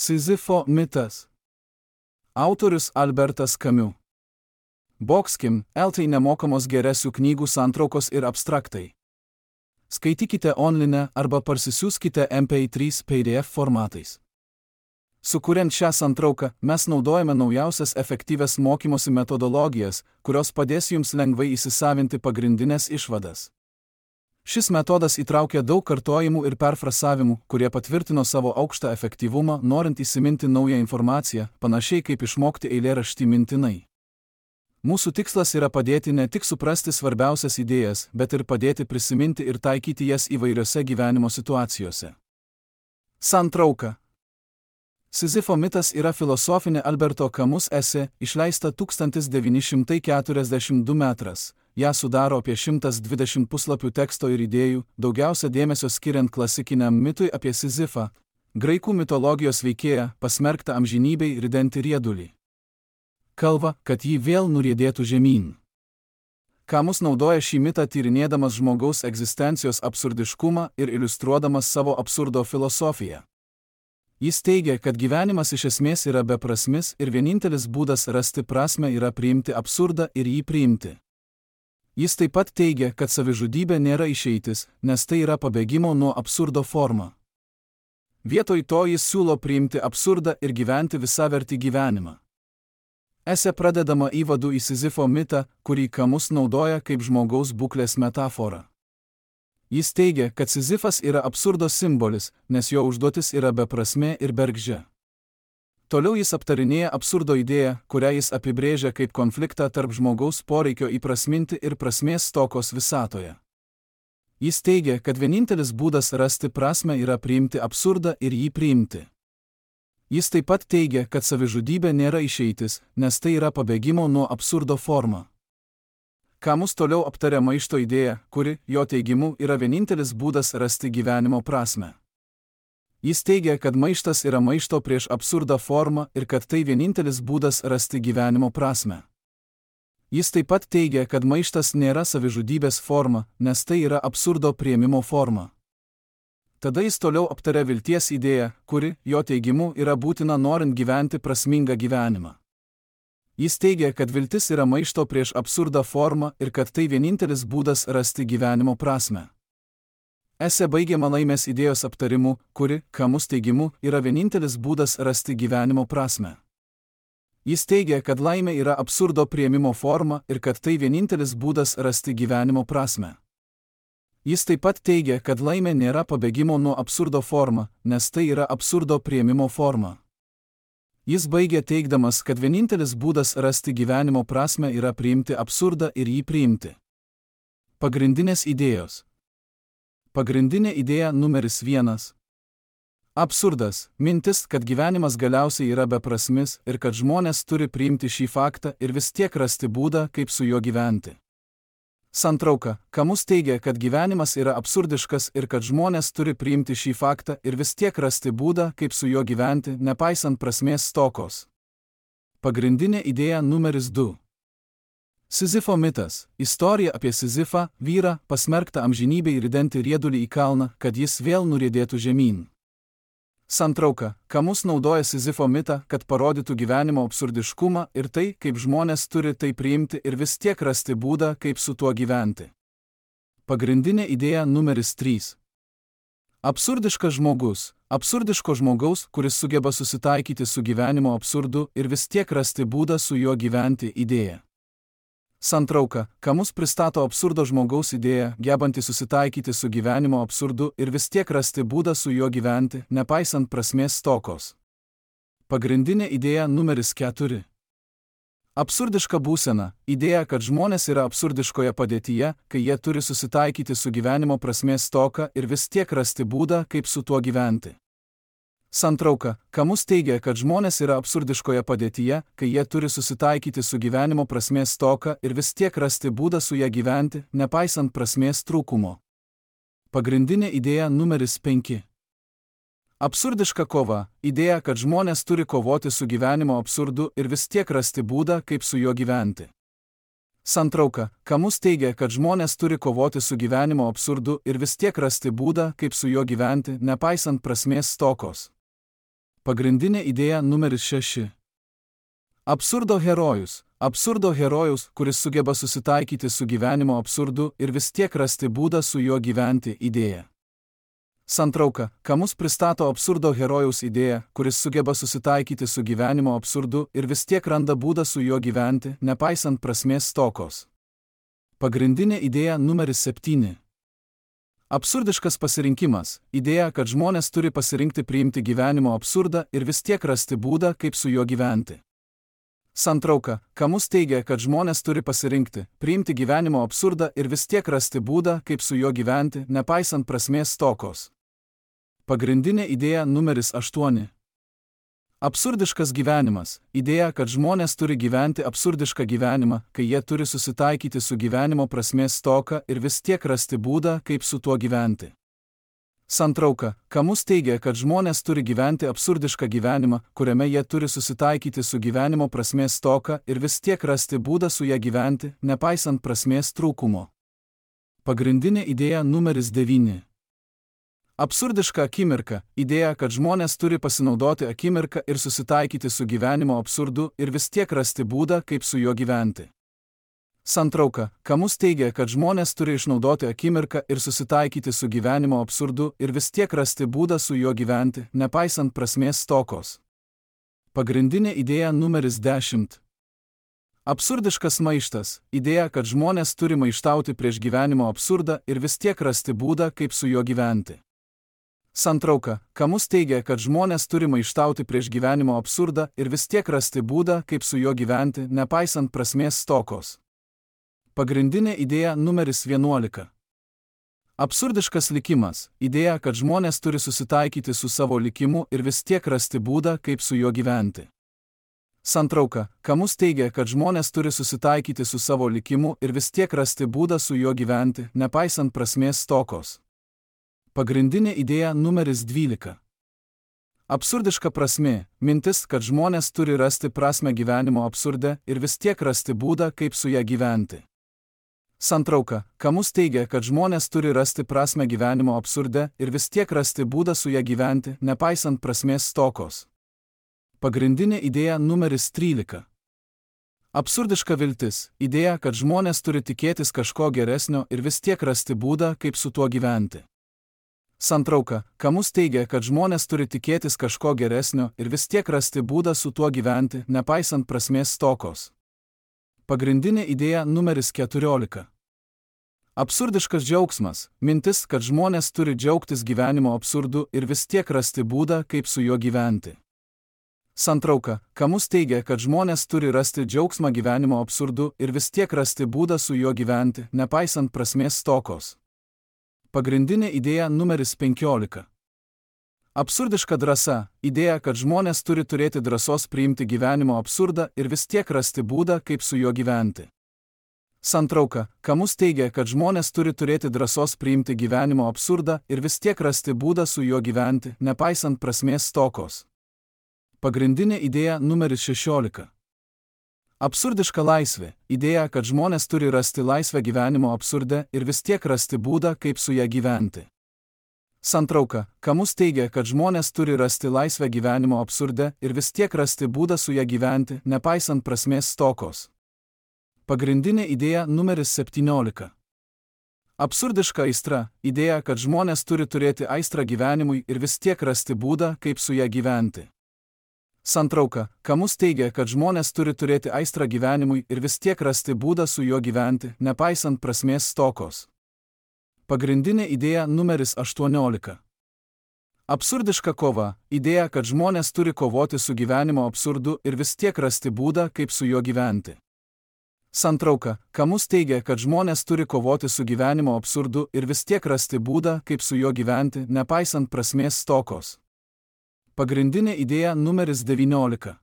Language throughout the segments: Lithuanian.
Sizifo mitas. Autorius Albertas Camus. Boxkim, LT nemokamos geresių knygų santraukos ir abstraktai. Skaitykite online arba parsisiųskite MP3 PDF formatais. Sukuriant šią santrauką, mes naudojame naujausias efektyvias mokymosi metodologijas, kurios padės jums lengvai įsisavinti pagrindinės išvadas. Šis metodas įtraukia daug kartojimų ir perfrasavimų, kurie patvirtino savo aukštą efektyvumą, norint įsiminti naują informaciją, panašiai kaip išmokti eilėraštį mintinai. Mūsų tikslas yra padėti ne tik suprasti svarbiausias idėjas, bet ir padėti prisiminti ir taikyti jas įvairiose gyvenimo situacijose. Santrauka. Sizifo mitas yra filosofinė Alberto Camus esė, išleista 1942 metras. Ją sudaro apie 120 puslapių teksto ir idėjų, daugiausia dėmesio skiriant klasikiniam mitui apie Sizifą, graikų mitologijos veikėją, pasmerktą amžinybei ridenti riedulį. Kalba, kad jį vėl nuriedėtų žemyn. Camus naudoja šį mitą tyrinėdamas žmogaus egzistencijos absurdiškumą ir iliustruodamas savo absurdo filosofiją. Jis teigia, kad gyvenimas iš esmės yra beprasmis ir vienintelis būdas rasti prasmę yra priimti absurdą ir jį priimti. Jis taip pat teigia, kad savižudybė nėra išeitis, nes tai yra pabėgimo nuo absurdo forma. Vietoj to jis siūlo priimti absurdą ir gyventi visavertį gyvenimą. Esė pradedama įvadu į Sizifo mitą, kurį Camus naudoja kaip žmogaus būklės metaforą. Jis teigia, kad Sizifas yra absurdo simbolis, nes jo užduotis yra beprasmė ir bergždžia. Toliau jis aptarinėja absurdo idėją, kurią jis apibrėžia kaip konfliktą tarp žmogaus poreikio įprasminti ir prasmės stokos visatoje. Jis teigia, kad vienintelis būdas rasti prasmę yra priimti absurdą ir jį priimti. Jis taip pat teigia, kad savižudybė nėra išeitis, nes tai yra pabėgimo nuo absurdo forma. Camus toliau aptaria maišto idėją, kuri, jo teigimu, yra vienintelis būdas rasti gyvenimo prasmę. Jis teigia, kad maištas yra maišto prieš absurdą forma ir kad tai vienintelis būdas rasti gyvenimo prasmę. Jis taip pat teigia, kad maištas nėra savižudybės forma, nes tai yra absurdo priėmimo forma. Tada jis toliau aptaria vilties idėją, kuri, jo teigimu, yra būtina norint gyventi prasmingą gyvenimą. Jis teigia, kad viltis yra maišto prieš absurdą forma ir kad tai vienintelis būdas rasti gyvenimo prasmę. Esė baigiama laimės idėjos aptarimu, kuri, Camus teigimu, yra vienintelis būdas rasti gyvenimo prasmę. Jis teigia, kad laimė yra absurdo priėmimo forma ir kad tai vienintelis būdas rasti gyvenimo prasmę. Jis taip pat teigia, kad laimė nėra pabėgimo nuo absurdo forma, nes tai yra absurdo priėmimo forma. Jis baigia teigdamas, kad vienintelis būdas rasti gyvenimo prasmę yra priimti absurdą ir jį priimti. Pagrindinės idėjos. Pagrindinė idėja numeris 1. Absurdas – mintis, kad gyvenimas galiausiai yra beprasmis ir kad žmonės turi priimti šį faktą ir vis tiek rasti būdą, kaip su juo gyventi. Santrauka. Camus teigia, kad gyvenimas yra absurdiškas ir kad žmonės turi priimti šį faktą ir vis tiek rasti būdą, kaip su juo gyventi, nepaisant prasmės stokos. Pagrindinė idėja numeris 2. Sizifo mitas. Istorija apie Sizifą, vyrą, pasmerktą amžinybei ridenti riedulį į kalną, kad jis vėl nuriedėtų žemyn. Santrauka. Camus naudoja Sizifo mitą, kad parodytų gyvenimo absurdiškumą ir tai, kaip žmonės turi tai priimti ir vis tiek rasti būdą, kaip su tuo gyventi. Pagrindinė idėja numeris 3. Absurdiškas žmogus. Absurdiško žmogaus, kuris sugeba susitaikyti su gyvenimo absurdu ir vis tiek rasti būdą su juo gyventi idėja. Santrauka. Camus pristato absurdo žmogaus idėją, gebantį susitaikyti su gyvenimo absurdu ir vis tiek rasti būdą su juo gyventi, nepaisant prasmės stokos. Pagrindinė idėja numeris 4. Absurdiška būsena. Idėja, kad žmonės yra absurdiškoje padėtyje, kai jie turi susitaikyti su gyvenimo prasmės stoka ir vis tiek rasti būdą, kaip su tuo gyventi. Santrauka. Camus teigia, kad žmonės yra absurdiškoje padėtyje, kai jie turi susitaikyti su gyvenimo prasmės stoka ir vis tiek rasti būdą su ją gyventi, nepaisant prasmės trūkumo. Pagrindinė idėja numeris 5. Absurdiška kova. Idėja, kad žmonės turi kovoti su gyvenimo absurdu ir vis tiek rasti būdą, kaip su juo gyventi. Santrauka. Camus teigia, kad žmonės turi kovoti su gyvenimo absurdu ir vis tiek rasti būdą, kaip su juo gyventi, nepaisant prasmės stokos. Pagrindinė idėja numeris 6. Absurdo herojus. Absurdo herojus, kuris sugeba susitaikyti su gyvenimo absurdu ir vis tiek rasti būdą su juo gyventi idėja. Santrauka, Kamus pristato absurdo herojaus idėją, kuris sugeba susitaikyti su gyvenimo absurdu ir vis tiek randa būdą su juo gyventi, nepaisant prasmės stokos. Pagrindinė idėja numeris 7. Absurdiškas pasirinkimas. Idėja, kad žmonės turi pasirinkti priimti gyvenimo absurdą ir vis tiek rasti būdą, kaip su juo gyventi. Santrauka, Kamus teigia, kad žmonės turi pasirinkti, priimti gyvenimo absurdą ir vis tiek rasti būdą, kaip su juo gyventi, nepaisant prasmės stokos. Pagrindinė idėja numeris 8. Absurdiškas gyvenimas. Idėja, kad žmonės turi gyventi absurdišką gyvenimą, kai jie turi susitaikyti su gyvenimo prasmės stoka ir vis tiek rasti būdą, kaip su tuo gyventi. Santrauka, Kamus teigia, kad žmonės turi gyventi absurdišką gyvenimą, kuriame jie turi susitaikyti su gyvenimo prasmės stoka ir vis tiek rasti būdą su ją gyventi, nepaisant prasmės trūkumo. Pagrindinė idėja numeris 9. Absurdiška akimirka. Idėja, kad žmonės turi pasinaudoti akimirką ir susitaikyti su gyvenimo absurdu ir vis tiek rasti būdą, kaip su juo gyventi. Santrauka, Kamus teigia, kad žmonės turi išnaudoti akimirką ir susitaikyti su gyvenimo absurdu ir vis tiek rasti būdą su juo gyventi, nepaisant prasmės stokos. Pagrindinė idėja numeris 10. Absurdiškas maištas. Idėja, kad žmonės turi maištauti prieš gyvenimo absurdą ir vis tiek rasti būdą, kaip su juo gyventi. Santrauka, Kamus teigia, kad žmonės turi maištauti prieš gyvenimo absurdą ir vis tiek rasti būdą, kaip su juo gyventi, nepaisant prasmės stokos. Pagrindinė idėja numeris 11. Absurdiškas likimas. Idėja, kad žmonės turi susitaikyti su savo likimu ir vis tiek rasti būdą, kaip su juo gyventi. Santrauka, Kamus teigia, kad žmonės turi susitaikyti su savo likimu ir vis tiek rasti būdą su juo gyventi, nepaisant prasmės stokos. Pagrindinė idėja numeris 12. Absurdiška prasmė. Mintis, kad žmonės turi rasti prasmę gyvenimo absurde ir vis tiek rasti būdą, kaip su ją gyventi. Santrauka, Kamus teigia, kad žmonės turi rasti prasmę gyvenimo absurde ir vis tiek rasti būdą su ją gyventi, nepaisant prasmės stokos. Pagrindinė idėja numeris 13. Absurdiška viltis. Idėja, kad žmonės turi tikėtis kažko geresnio ir vis tiek rasti būdą, kaip su tuo gyventi. Santrauka, Kamus teigia, kad žmonės turi tikėtis kažko geresnio ir vis tiek rasti būdą su tuo gyventi, nepaisant prasmės stokos. Pagrindinė idėja numeris 14. Absurdiškas džiaugsmas. Mintis, kad žmonės turi džiaugtis gyvenimo absurdu ir vis tiek rasti būdą, kaip su juo gyventi. Santrauka, Kamus teigia, kad žmonės turi rasti džiaugsmą gyvenimo absurdu ir vis tiek rasti būdą su juo gyventi, nepaisant prasmės stokos. Pagrindinė idėja numeris 15. Absurdiška drąsa. Idėja, kad žmonės turi turėti drąsos priimti gyvenimo absurdą ir vis tiek rasti būdą, kaip su juo gyventi. Santrauka, Kamus teigia, kad žmonės turi turėti drąsos priimti gyvenimo absurdą ir vis tiek rasti būdą su juo gyventi, nepaisant prasmės stokos. Pagrindinė idėja numeris 16. Absurdiška laisvė. Idėja, kad žmonės turi rasti laisvę gyvenimo absurde ir vis tiek rasti būdą, kaip su ją gyventi. Santrauka, Kamus teigia, kad žmonės turi rasti laisvę gyvenimo absurde ir vis tiek rasti būdą su ją gyventi, nepaisant prasmės stokos. Pagrindinė idėja numeris 17. Absurdiška aistra. Idėja, kad žmonės turi turėti aistrą gyvenimui ir vis tiek rasti būdą, kaip su ją gyventi. Santrauka, Kamus teigia, kad žmonės turi turėti aistrą gyvenimui ir vis tiek rasti būdą su juo gyventi, nepaisant prasmės stokos. Pagrindinė idėja numeris 18. Absurdiška kova. Idėja, kad žmonės turi kovoti su gyvenimo absurdu ir vis tiek rasti būdą, kaip su juo gyventi. Santrauka, Kamus teigia, kad žmonės turi kovoti su gyvenimo absurdu ir vis tiek rasti būdą, kaip su juo gyventi, nepaisant prasmės stokos. Pagrindinė idėja numeris 19.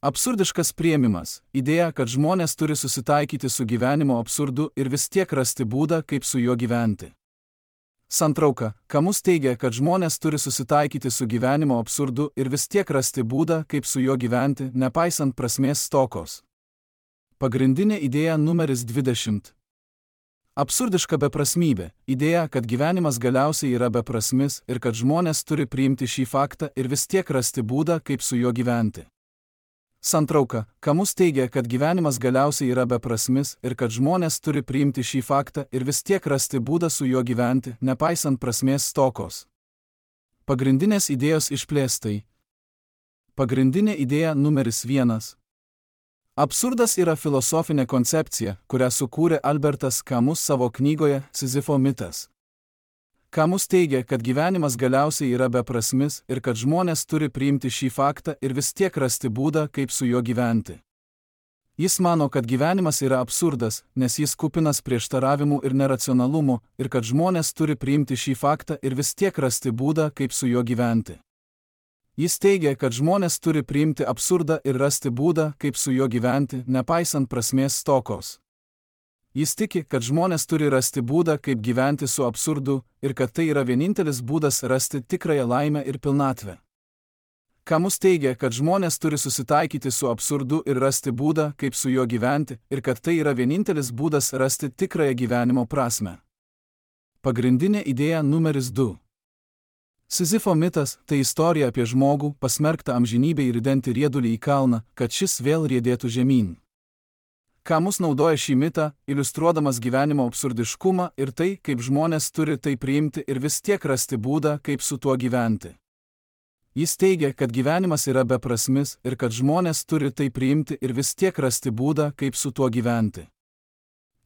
Absurdiškas priėmimas. Idėja, kad žmonės turi susitaikyti su gyvenimo absurdu ir vis tiek rasti būdą, kaip su juo gyventi. Santrauka, Kamus teigia, kad žmonės turi susitaikyti su gyvenimo absurdu ir vis tiek rasti būdą, kaip su juo gyventi, nepaisant prasmės stokos. Pagrindinė idėja numeris 20. Absurdiška beprasmybė – idėja, kad gyvenimas galiausiai yra beprasmis ir kad žmonės turi priimti šį faktą ir vis tiek rasti būdą, kaip su juo gyventi. Santrauka – Kamus teigia, kad gyvenimas galiausiai yra beprasmis ir kad žmonės turi priimti šį faktą ir vis tiek rasti būdą su juo gyventi, nepaisant prasmės stokos. Pagrindinės idėjos išplėstai. Pagrindinė idėja numeris 1. Absurdas yra filosofinė koncepcija, kurią sukūrė Albertas Kamus savo knygoje Sizifo mitas. Kamus teigia, kad gyvenimas galiausiai yra beprasmis ir kad žmonės turi priimti šį faktą ir vis tiek rasti būdą, kaip su juo gyventi. Jis mano, kad gyvenimas yra absurdas, nes jis kupinas prieštaravimų ir neracionalumų ir kad žmonės turi priimti šį faktą ir vis tiek rasti būdą, kaip su juo gyventi. Jis teigia, kad žmonės turi priimti absurdą ir rasti būdą, kaip su juo gyventi, nepaisant prasmės stokos. Jis tiki, kad žmonės turi rasti būdą, kaip gyventi su absurdu ir kad tai yra vienintelis būdas rasti tikrąją laimę ir pilnatvę. Kamus teigia, kad žmonės turi susitaikyti su absurdu ir rasti būdą, kaip su juo gyventi ir kad tai yra vienintelis būdas rasti tikrąją gyvenimo prasmę. Pagrindinė idėja numeris 2. Sizifo mitas – tai istorija apie žmogų, pasmerktą amžinybei ridenti riedulį į kalną, kad šis vėl riedėtų žemyn. Kamus naudoja šį mitą, iliustruodamas gyvenimo absurdiškumą ir tai, kaip žmonės turi tai priimti ir vis tiek rasti būdą, kaip su tuo gyventi. Jis teigia, kad gyvenimas yra beprasmis ir kad žmonės turi tai priimti ir vis tiek rasti būdą, kaip su tuo gyventi.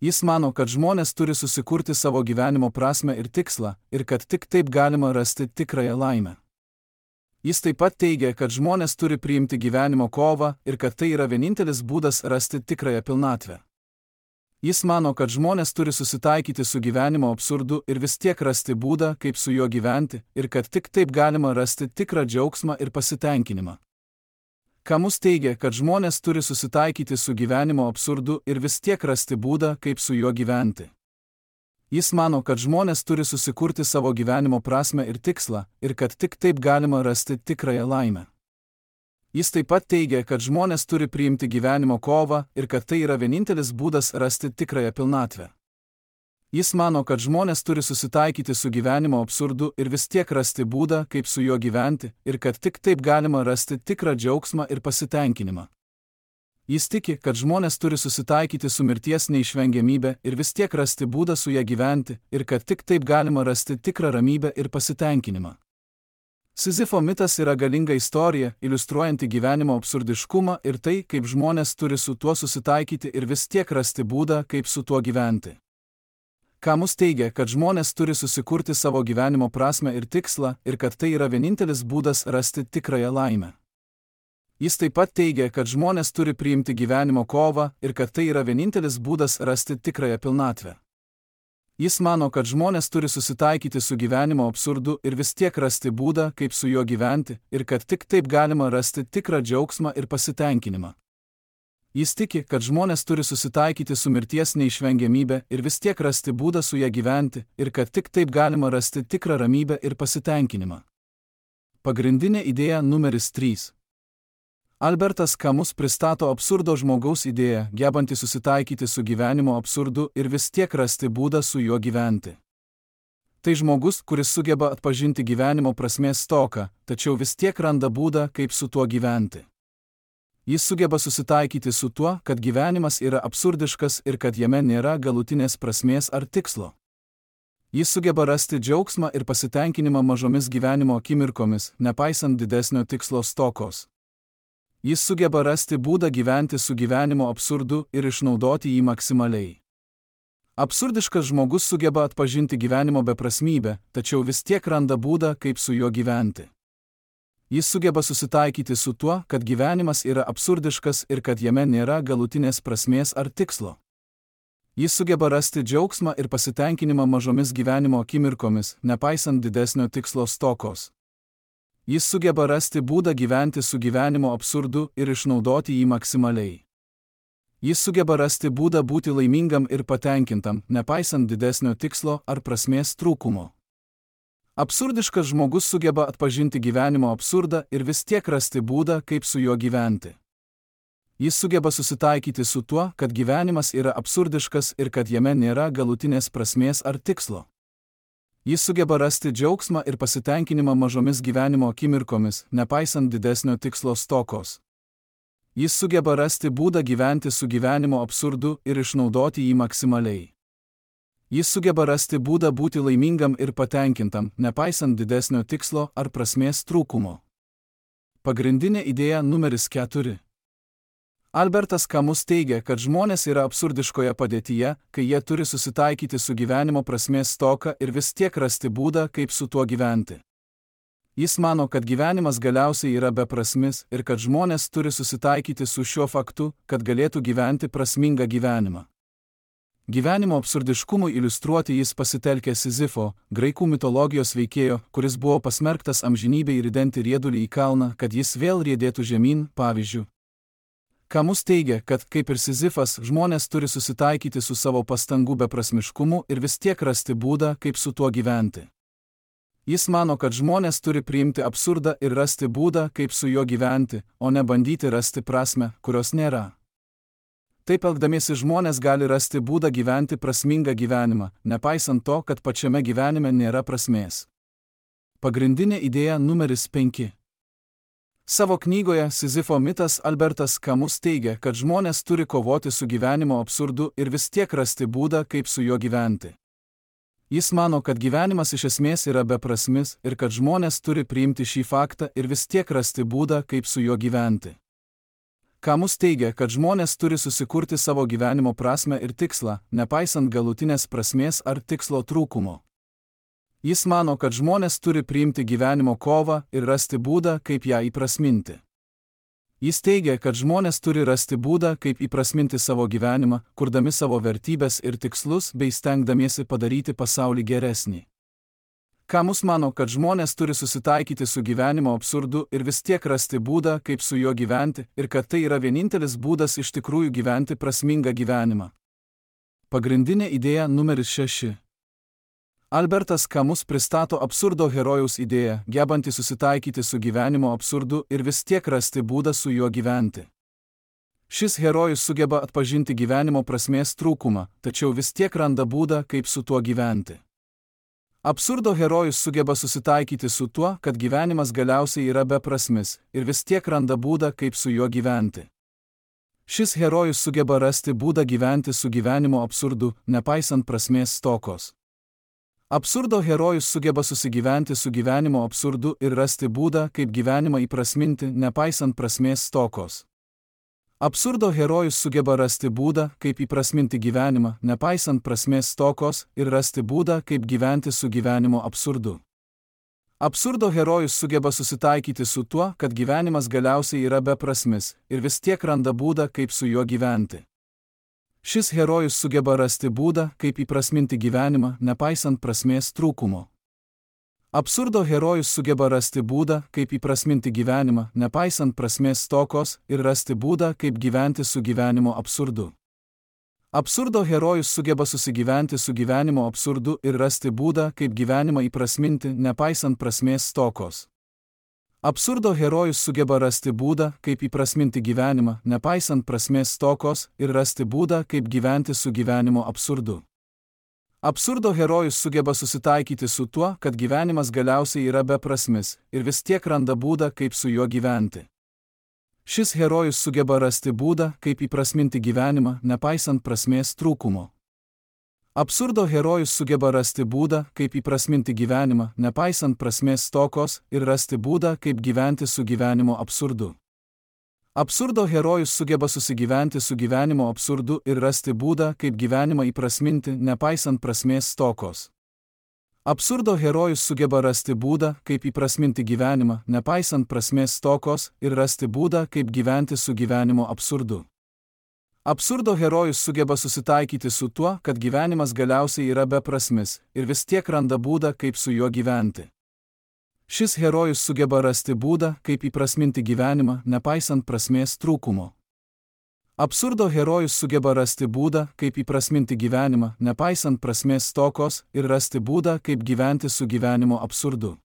Jis mano, kad žmonės turi susikurti savo gyvenimo prasmę ir tikslą, ir kad tik taip galima rasti tikrąją laimę. Jis taip pat teigia, kad žmonės turi priimti gyvenimo kovą ir kad tai yra vienintelis būdas rasti tikrąją pilnatvę. Jis mano, kad žmonės turi susitaikyti su gyvenimo absurdu ir vis tiek rasti būdą, kaip su juo gyventi, ir kad tik taip galima rasti tikrą džiaugsmą ir pasitenkinimą. Kamus teigia, kad žmonės turi susitaikyti su gyvenimo absurdu ir vis tiek rasti būdą, kaip su juo gyventi. Jis mano, kad žmonės turi susikurti savo gyvenimo prasmę ir tikslą, ir kad tik taip galima rasti tikrąją laimę. Jis taip pat teigia, kad žmonės turi priimti gyvenimo kovą ir kad tai yra vienintelis būdas rasti tikrąją pilnatvę. Jis mano, kad žmonės turi susitaikyti su gyvenimo absurdu ir vis tiek rasti būdą, kaip su juo gyventi, ir kad tik taip galima rasti tikrą džiaugsmą ir pasitenkinimą. Jis tiki, kad žmonės turi susitaikyti su mirties neišvengiamybė ir vis tiek rasti būdą su ja gyventi, ir kad tik taip galima rasti tikrą ramybę ir pasitenkinimą. Sizifo mitas yra galinga istorija, iliustruojanti gyvenimo absurdiškumą ir tai, kaip žmonės turi su tuo susitaikyti ir vis tiek rasti būdą, kaip su tuo gyventi. Kamus teigia, kad žmonės turi susikurti savo gyvenimo prasmę ir tikslą ir kad tai yra vienintelis būdas rasti tikrąją laimę. Jis taip pat teigia, kad žmonės turi priimti gyvenimo kovą ir kad tai yra vienintelis būdas rasti tikrąją pilnatvę. Jis mano, kad žmonės turi susitaikyti su gyvenimo absurdu ir vis tiek rasti būdą, kaip su juo gyventi, ir kad tik taip galima rasti tikrą džiaugsmą ir pasitenkinimą. Jis tiki, kad žmonės turi susitaikyti su mirties neišvengiamybė ir vis tiek rasti būdą su ja gyventi, ir kad tik taip galima rasti tikrą ramybę ir pasitenkinimą. Pagrindinė idėja numeris 3. Albertas Kamus pristato absurdo žmogaus idėją, gebantį susitaikyti su gyvenimo absurdu ir vis tiek rasti būdą su juo gyventi. Tai žmogus, kuris sugeba atpažinti gyvenimo prasmės stoką, tačiau vis tiek randa būdą, kaip su tuo gyventi. Jis sugeba susitaikyti su tuo, kad gyvenimas yra absurdiškas ir kad jame nėra galutinės prasmės ar tikslo. Jis sugeba rasti džiaugsmą ir pasitenkinimą mažomis gyvenimo akimirkomis, nepaisant didesnio tikslo stokos. Jis sugeba rasti būdą gyventi su gyvenimo absurdu ir išnaudoti jį maksimaliai. Absurdiškas žmogus sugeba atpažinti gyvenimo beprasmybę, tačiau vis tiek randa būdą, kaip su juo gyventi. Jis sugeba susitaikyti su tuo, kad gyvenimas yra absurdiškas ir kad jame nėra galutinės prasmės ar tikslo. Jis sugeba rasti džiaugsmą ir pasitenkinimą mažomis gyvenimo akimirkomis, nepaisant didesnio tikslo stokos. Jis sugeba rasti būdą gyventi su gyvenimo absurdu ir išnaudoti jį maksimaliai. Jis sugeba rasti būdą būti laimingam ir patenkintam, nepaisant didesnio tikslo ar prasmės trūkumo. Absurdiškas žmogus sugeba atpažinti gyvenimo absurdą ir vis tiek rasti būdą, kaip su juo gyventi. Jis sugeba susitaikyti su tuo, kad gyvenimas yra absurdiškas ir kad jame nėra galutinės prasmės ar tikslo. Jis sugeba rasti džiaugsmą ir pasitenkinimą mažomis gyvenimo akimirkomis, nepaisant didesnio tikslo stokos. Jis sugeba rasti būdą gyventi su gyvenimo absurdu ir išnaudoti jį maksimaliai. Jis sugeba rasti būdą būti laimingam ir patenkintam, nepaisant didesnio tikslo ar prasmės trūkumo. Pagrindinė idėja numeris 4. Albertas Camus teigia, kad žmonės yra absurdiškoje padėtyje, kai jie turi susitaikyti su gyvenimo prasmės stoka ir vis tiek rasti būdą, kaip su tuo gyventi. Jis mano, kad gyvenimas galiausiai yra beprasmis ir kad žmonės turi susitaikyti su šiuo faktu, kad galėtų gyventi prasmingą gyvenimą. Gyvenimo absurdiškumui iliustruoti jis pasitelkė Sizifo, graikų mitologijos veikėjo, kuris buvo pasmerktas amžinybei ridenti riedulį į kalną, kad jis vėl riedėtų žemyn, pavyzdžiui. Camus teigia, kad, kaip ir Sizifas, žmonės turi susitaikyti su savo pastangų beprasmiškumu ir vis tiek rasti būdą, kaip su tuo gyventi. Jis mano, kad žmonės turi priimti absurdą ir rasti būdą, kaip su juo gyventi, o ne bandyti rasti prasmę, kurios nėra. Taip elgdamiesi žmonės gali rasti būdą gyventi prasmingą gyvenimą, nepaisant to, kad pačiame gyvenime nėra prasmės. Pagrindinė idėja numeris 5. Savo knygoje Sizifo mitas Albertas Camus teigia, kad žmonės turi kovoti su gyvenimo absurdu ir vis tiek rasti būdą, kaip su juo gyventi. Jis mano, kad gyvenimas iš esmės yra beprasmis ir kad žmonės turi priimti šį faktą ir vis tiek rasti būdą, kaip su juo gyventi. Camus teigia, kad žmonės turi susikurti savo gyvenimo prasmę ir tikslą, nepaisant galutinės prasmės ar tikslo trūkumo. Jis mano, kad žmonės turi priimti gyvenimo kovą ir rasti būdą, kaip ją įprasminti. Jis teigia, kad žmonės turi rasti būdą, kaip įprasminti savo gyvenimą, kurdami savo vertybės ir tikslus bei stengdamiesi padaryti pasaulį geresnį. Camus mano, kad žmonės turi susitaikyti su gyvenimo absurdu ir vis tiek rasti būdą, kaip su juo gyventi, ir kad tai yra vienintelis būdas iš tikrųjų gyventi prasmingą gyvenimą. Pagrindinė idėja numeris 6. Albertas Camus pristato absurdo herojaus idėją, gebantį susitaikyti su gyvenimo absurdu ir vis tiek rasti būdą su juo gyventi. Šis herojus sugeba atpažinti gyvenimo prasmės trūkumą, tačiau vis tiek randa būdą, kaip su tuo gyventi. Absurdo herojus sugeba susitaikyti su tuo, kad gyvenimas galiausiai yra beprasmis, ir vis tiek randa būdą, kaip su juo gyventi. Šis herojus sugeba rasti būdą gyventi su gyvenimo absurdu, nepaisant prasmės stokos. Absurdo herojus sugeba susigyventi su gyvenimo absurdu ir rasti būdą, kaip gyvenimą įprasminti, nepaisant prasmės stokos. Absurdo herojus sugeba rasti būdą, kaip įprasminti gyvenimą, nepaisant prasmės stokos, ir rasti būdą, kaip gyventi su gyvenimo absurdu. Absurdo herojus sugeba susitaikyti su tuo, kad gyvenimas galiausiai yra beprasmis, ir vis tiek randa būdą, kaip su juo gyventi. Šis herojus sugeba rasti būdą, kaip įprasminti gyvenimą, nepaisant prasmės trūkumo. Absurdo herojus sugeba rasti būdą, kaip įprasminti gyvenimą, nepaisant prasmės stokos, ir rasti būdą, kaip gyventi su gyvenimo absurdu. Absurdo herojus sugeba susigyventi su gyvenimo absurdu ir rasti būdą, kaip gyvenimą įprasminti, nepaisant prasmės stokos. Absurdo herojus sugeba rasti būdą, kaip įprasminti gyvenimą, nepaisant prasmės stokos, ir rasti būdą, kaip gyventi su gyvenimo absurdu. Absurdo herojus sugeba susitaikyti su tuo, kad gyvenimas galiausiai yra beprasmis, ir vis tiek randa būdą, kaip su juo gyventi. Šis herojus sugeba rasti būdą, kaip įprasminti gyvenimą, nepaisant prasmės trūkumo. Absurdo herojus sugeba rasti būdą, kaip įprasminti gyvenimą, nepaisant prasmės stokos, ir rasti būdą, kaip gyventi su gyvenimo absurdu. Absurdo herojus sugeba susigyventi su gyvenimo absurdu ir rasti būdą, kaip gyvenimą įprasminti, nepaisant prasmės stokos. Absurdo herojus sugeba rasti būdą, kaip įprasminti gyvenimą, nepaisant prasmės stokos, ir rasti būdą, kaip gyventi su gyvenimo absurdu. Absurdo herojus sugeba susitaikyti su tuo, kad gyvenimas galiausiai yra beprasmis, ir vis tiek randa būdą, kaip su juo gyventi. Šis herojus sugeba rasti būdą, kaip įprasminti gyvenimą, nepaisant prasmės trūkumo. Absurdo herojus sugeba rasti būdą, kaip įprasminti gyvenimą, nepaisant prasmės stokos, ir rasti būdą, kaip gyventi su gyvenimo absurdu.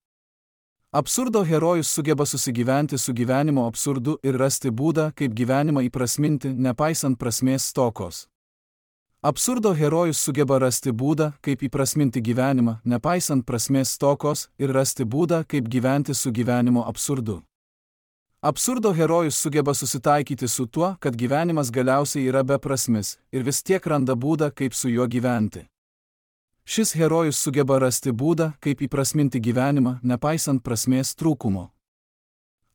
Absurdo herojus sugeba susigyventi su gyvenimo absurdu ir rasti būdą, kaip gyvenimą įprasminti, nepaisant prasmės stokos. Absurdo herojus sugeba rasti būdą, kaip įprasminti gyvenimą, nepaisant prasmės stokos, ir rasti būdą, kaip gyventi su gyvenimo absurdu. Absurdo herojus sugeba susitaikyti su tuo, kad gyvenimas galiausiai yra beprasmis, ir vis tiek randa būdą, kaip su juo gyventi. Šis herojus sugeba rasti būdą, kaip įprasminti gyvenimą, nepaisant prasmės trūkumo.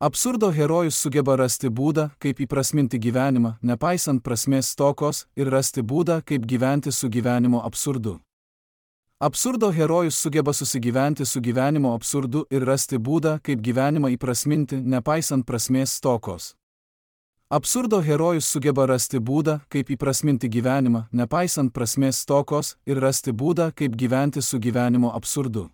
Absurdo herojus sugeba rasti būdą, kaip įprasminti gyvenimą, nepaisant prasmės stokos, ir rasti būdą, kaip gyventi su gyvenimo absurdu. Absurdo herojus sugeba susigyventi su gyvenimo absurdu ir rasti būdą, kaip gyvenimą įprasminti, nepaisant prasmės stokos. Absurdo herojus sugeba rasti būdą, kaip įprasminti gyvenimą, nepaisant prasmės stokos, ir rasti būdą, kaip gyventi su gyvenimo absurdu.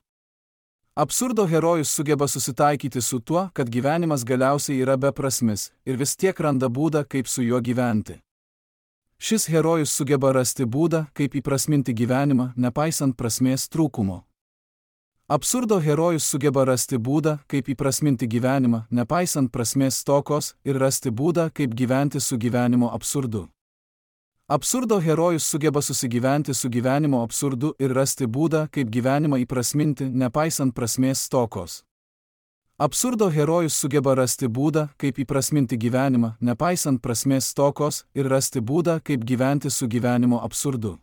Absurdo herojus sugeba susitaikyti su tuo, kad gyvenimas galiausiai yra beprasmis, ir vis tiek randa būdą, kaip su juo gyventi. Šis herojus sugeba rasti būdą, kaip įprasminti gyvenimą, nepaisant prasmės trūkumo. Absurdo herojus sugeba rasti būdą, kaip įprasminti gyvenimą, nepaisant prasmės stokos, ir rasti būdą, kaip gyventi su gyvenimo absurdu. Absurdo herojus sugeba susigyventi su gyvenimo absurdu ir rasti būdą, kaip gyvenimą įprasminti, nepaisant prasmės stokos. Absurdo herojus sugeba rasti būdą, kaip įprasminti gyvenimą, nepaisant prasmės stokos, ir rasti būdą, kaip gyventi su gyvenimo absurdu.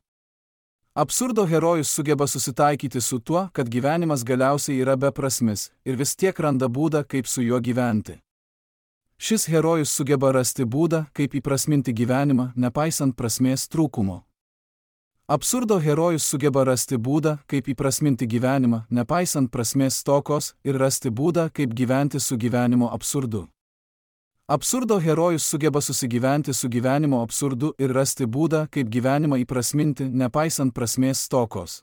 Absurdo herojus sugeba susitaikyti su tuo, kad gyvenimas galiausiai yra beprasmis, ir vis tiek randa būdą, kaip su juo gyventi. Šis herojus sugeba rasti būdą, kaip įprasminti gyvenimą, nepaisant prasmės trūkumo. Absurdo herojus sugeba rasti būdą, kaip įprasminti gyvenimą, nepaisant prasmės stokos, ir rasti būdą, kaip gyventi su gyvenimo absurdu. Absurdo herojus sugeba susigyventi su gyvenimo absurdu ir rasti būdą, kaip gyvenimą įprasminti, nepaisant prasmės stokos.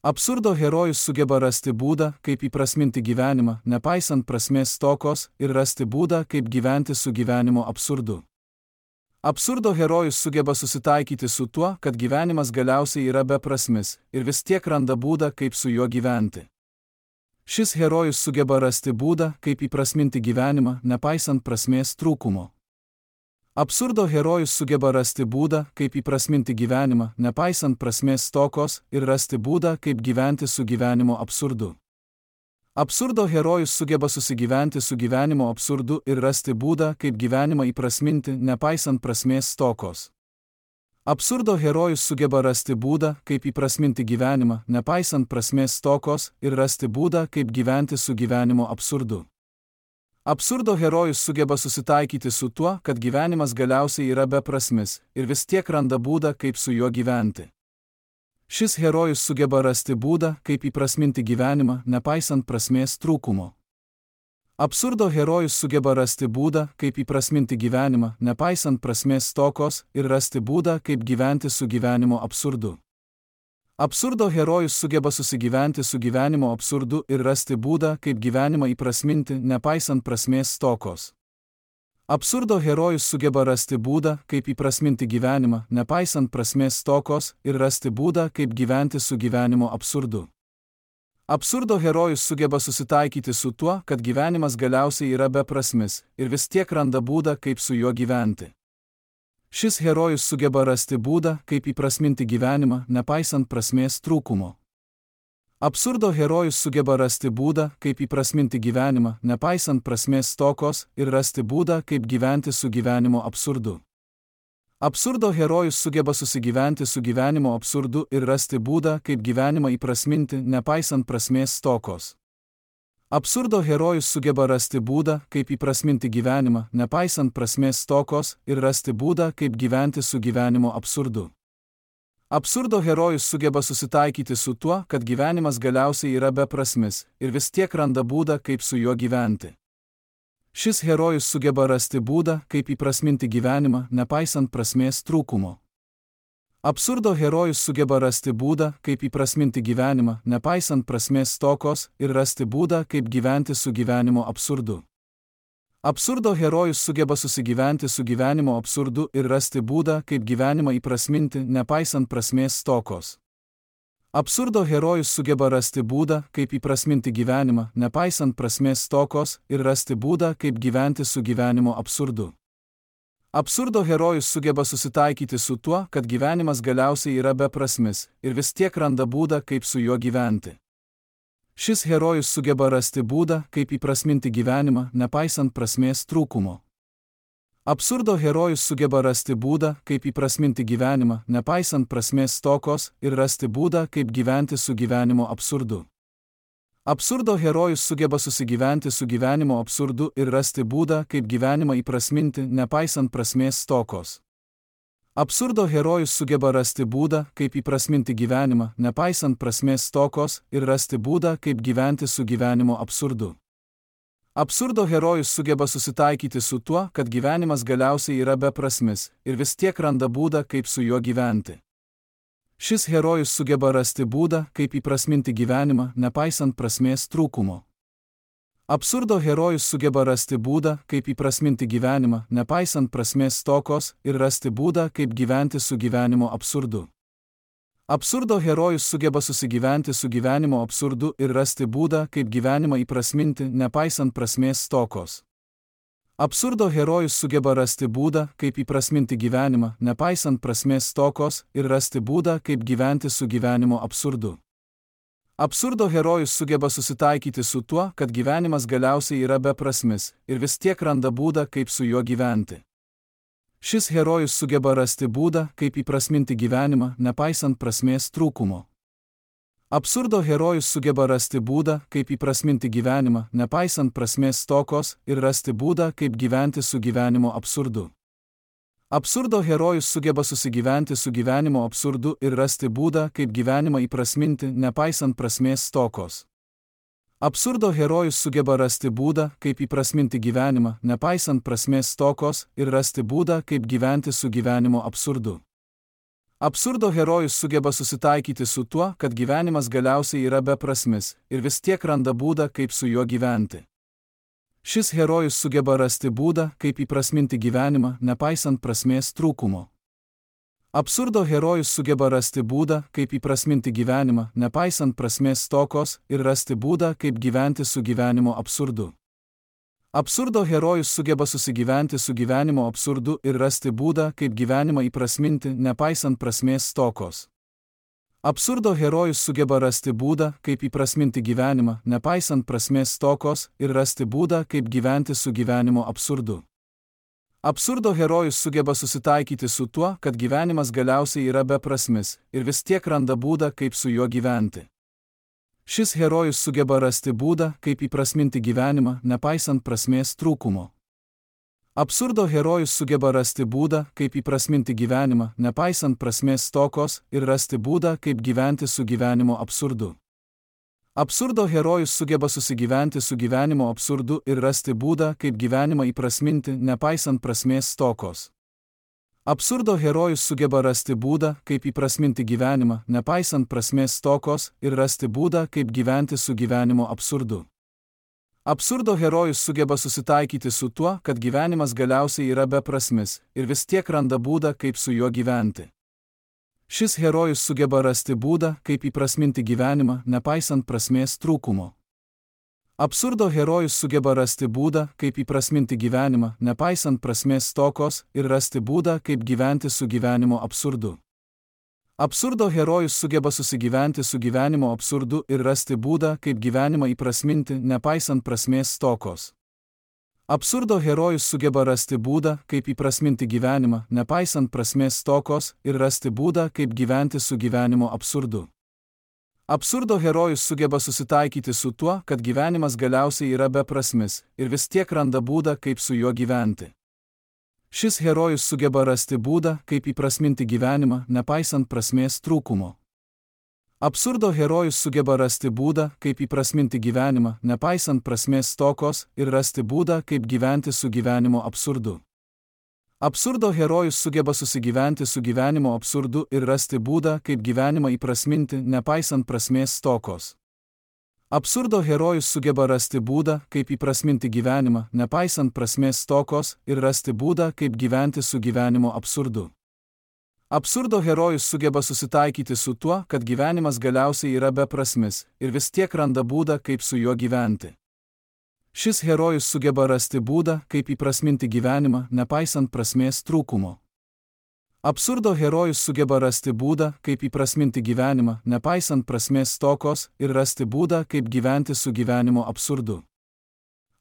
Absurdo herojus sugeba rasti būdą, kaip įprasminti gyvenimą, nepaisant prasmės stokos, ir rasti būdą, kaip gyventi su gyvenimo absurdu. Absurdo herojus sugeba susitaikyti su tuo, kad gyvenimas galiausiai yra beprasmis, ir vis tiek randa būdą, kaip su juo gyventi. Šis herojus sugeba rasti būdą, kaip įprasminti gyvenimą, nepaisant prasmės trūkumo. Absurdo herojus sugeba rasti būdą, kaip įprasminti gyvenimą, nepaisant prasmės stokos, ir rasti būdą, kaip gyventi su gyvenimo absurdu. Absurdo herojus sugeba susigyventi su gyvenimo absurdu ir rasti būdą, kaip gyvenimą įprasminti, nepaisant prasmės stokos. Absurdo herojus sugeba rasti būdą, kaip įprasminti gyvenimą, nepaisant prasmės stokos, ir rasti būdą, kaip gyventi su gyvenimo absurdu. Absurdo herojus sugeba susitaikyti su tuo, kad gyvenimas galiausiai yra beprasmis, ir vis tiek randa būdą, kaip su juo gyventi. Šis herojus sugeba rasti būdą, kaip įprasminti gyvenimą, nepaisant prasmės trūkumo. Absurdo herojus sugeba rasti būdą, kaip įprasminti gyvenimą, nepaisant prasmės stokos, ir rasti būdą, kaip gyventi su gyvenimo absurdu. Absurdo herojus sugeba susigyventi su gyvenimo absurdu ir rasti būdą, kaip gyvenimą įprasminti, nepaisant prasmės stokos. Absurdo herojus sugeba rasti būdą, kaip įprasminti gyvenimą, nepaisant prasmės stokos, ir rasti būdą, kaip gyventi su gyvenimo absurdu. Absurdo herojus sugeba susitaikyti su tuo, kad gyvenimas galiausiai yra beprasmis, ir vis tiek randa būdą, kaip su juo gyventi. Šis herojus sugeba rasti būdą, kaip įprasminti gyvenimą, nepaisant prasmės trūkumo. Absurdo herojus sugeba rasti būdą, kaip įprasminti gyvenimą, nepaisant prasmės stokos, ir rasti būdą, kaip gyventi su gyvenimo absurdu. Absurdo herojus sugeba susigyventi su gyvenimo absurdu ir rasti būdą, kaip gyvenimą įprasminti, nepaisant prasmės stokos. Absurdo herojus sugeba rasti būdą, kaip įprasminti gyvenimą, nepaisant prasmės stokos, ir rasti būdą, kaip gyventi su gyvenimo absurdu. Absurdo herojus sugeba susitaikyti su tuo, kad gyvenimas galiausiai yra beprasmis, ir vis tiek randa būdą, kaip su juo gyventi. Šis herojus sugeba rasti būdą, kaip įprasminti gyvenimą, nepaisant prasmės trūkumo. Absurdo herojus sugeba rasti būdą, kaip įprasminti gyvenimą, nepaisant prasmės stokos, ir rasti būdą, kaip gyventi su gyvenimo absurdu. Absurdo herojus sugeba susigyventi su gyvenimo absurdu ir rasti būdą, kaip gyvenimą įprasminti, nepaisant prasmės stokos. Absurdo herojus sugeba rasti būdą, kaip įprasminti gyvenimą, nepaisant prasmės stokos, ir rasti būdą, kaip gyventi su gyvenimo absurdu. Absurdo herojus sugeba susitaikyti su tuo, kad gyvenimas galiausiai yra beprasmis, ir vis tiek randa būdą, kaip su juo gyventi. Šis herojus sugeba rasti būdą, kaip įprasminti gyvenimą, nepaisant prasmės trūkumo. Absurdo herojus sugeba rasti būdą, kaip įprasminti gyvenimą, nepaisant prasmės stokos, ir rasti būdą, kaip gyventi su gyvenimo absurdu. Absurdo herojus sugeba susigyventi su gyvenimo absurdu ir rasti būdą, kaip gyvenimą įprasminti, nepaisant prasmės stokos. Absurdo herojus sugeba rasti būdą, kaip įprasminti gyvenimą, nepaisant prasmės stokos, ir rasti būdą, kaip gyventi su gyvenimo absurdu. Absurdo herojus sugeba susitaikyti su tuo, kad gyvenimas galiausiai yra beprasmis, ir vis tiek randa būdą, kaip su juo gyventi. Šis herojus sugeba rasti būdą, kaip įprasminti gyvenimą, nepaisant prasmės trūkumo. Absurdo herojus sugeba rasti būdą, kaip įprasminti gyvenimą, nepaisant prasmės stokos, ir rasti būdą, kaip gyventi su gyvenimo absurdu. Absurdo herojus sugeba susigyventi su gyvenimo absurdu ir rasti būdą, kaip gyvenimą įprasminti, nepaisant prasmės stokos. Absurdo herojus sugeba rasti būdą, kaip įprasminti gyvenimą, nepaisant prasmės stokos, ir rasti būdą, kaip gyventi su gyvenimo absurdu. Absurdo herojus sugeba susitaikyti su tuo, kad gyvenimas galiausiai yra beprasmis, ir vis tiek randa būdą, kaip su juo gyventi. Šis herojus sugeba rasti būdą, kaip įprasminti gyvenimą, nepaisant prasmės trūkumo. Absurdo herojus sugeba rasti būdą, kaip įprasminti gyvenimą, nepaisant prasmės stokos, ir rasti būdą, kaip gyventi su gyvenimo absurdu. Absurdo herojus sugeba susigyventi su gyvenimo absurdu ir rasti būdą, kaip gyvenimą įprasminti, nepaisant prasmės stokos. Absurdo herojus sugeba rasti būdą, kaip įprasminti gyvenimą, nepaisant prasmės stokos, ir rasti būdą, kaip gyventi su gyvenimo absurdu. Absurdo herojus sugeba susitaikyti su tuo, kad gyvenimas galiausiai yra beprasmis, ir vis tiek randa būdą, kaip su juo gyventi. Šis herojus sugeba rasti būdą, kaip įprasminti gyvenimą, nepaisant prasmės trūkumo. Absurdo herojus sugeba rasti būdą, kaip įprasminti gyvenimą, nepaisant prasmės stokos, ir rasti būdą, kaip gyventi su gyvenimo absurdu. Absurdo herojus sugeba susigyventi su gyvenimo absurdu ir rasti būdą, kaip gyvenimą įprasminti, nepaisant prasmės stokos. Absurdo herojus sugeba rasti būdą, kaip įprasminti gyvenimą, nepaisant prasmės stokos, ir rasti būdą, kaip gyventi su gyvenimo absurdu. Absurdo herojus sugeba susitaikyti su tuo, kad gyvenimas galiausiai yra beprasmis, ir vis tiek randa būdą, kaip su juo gyventi. Šis herojus sugeba rasti būdą, kaip įprasminti gyvenimą, nepaisant prasmės trūkumo. Absurdo herojus sugeba rasti būdą, kaip įprasminti gyvenimą, nepaisant prasmės stokos, ir rasti būdą, kaip gyventi su gyvenimo absurdu. Absurdo herojus sugeba susigyventi su gyvenimo absurdu ir rasti būdą, kaip gyvenimą įprasminti, nepaisant prasmės stokos. Absurdo herojus sugeba rasti būdą, kaip įprasminti gyvenimą, nepaisant prasmės stokos, ir rasti būdą, kaip gyventi su gyvenimo absurdu. Absurdo herojus sugeba susitaikyti su tuo, kad gyvenimas galiausiai yra beprasmis, ir vis tiek randa būdą, kaip su juo gyventi. Šis herojus sugeba rasti būdą, kaip įprasminti gyvenimą, nepaisant prasmės trūkumo. Absurdo herojus sugeba rasti būdą, kaip įprasminti gyvenimą, nepaisant prasmės stokos, ir rasti būdą, kaip gyventi su gyvenimo absurdu. Absurdo herojus sugeba susigyventi su gyvenimo absurdu ir rasti būdą, kaip gyvenimą įprasminti, nepaisant prasmės stokos. Absurdo herojus sugeba rasti būdą, kaip įprasminti gyvenimą, nepaisant prasmės stokos, ir rasti būdą, kaip gyventi su gyvenimo absurdu. Absurdo herojus sugeba susitaikyti su tuo, kad gyvenimas galiausiai yra beprasmis, ir vis tiek randa būdą, kaip su juo gyventi. Šis herojus sugeba rasti būdą, kaip įprasminti gyvenimą, nepaisant prasmės trūkumo. Absurdo herojus sugeba rasti būdą, kaip įprasminti gyvenimą, nepaisant prasmės stokos, ir rasti būdą, kaip gyventi su gyvenimo absurdu. Absurdo herojus sugeba susigyventi su gyvenimo absurdu ir rasti būdą, kaip gyvenimą įprasminti, nepaisant prasmės stokos. Absurdo herojus sugeba rasti būdą, kaip įprasminti gyvenimą, nepaisant prasmės stokos, ir rasti būdą, kaip gyventi su gyvenimo absurdu. Absurdo herojus sugeba susitaikyti su tuo, kad gyvenimas galiausiai yra beprasmis ir vis tiek randa būdą, kaip su juo gyventi. Šis herojus sugeba rasti būdą, kaip įprasminti gyvenimą, nepaisant prasmės trūkumo. Absurdo herojus sugeba rasti būdą, kaip įprasminti gyvenimą, nepaisant prasmės stokos ir rasti būdą, kaip gyventi su gyvenimo absurdu.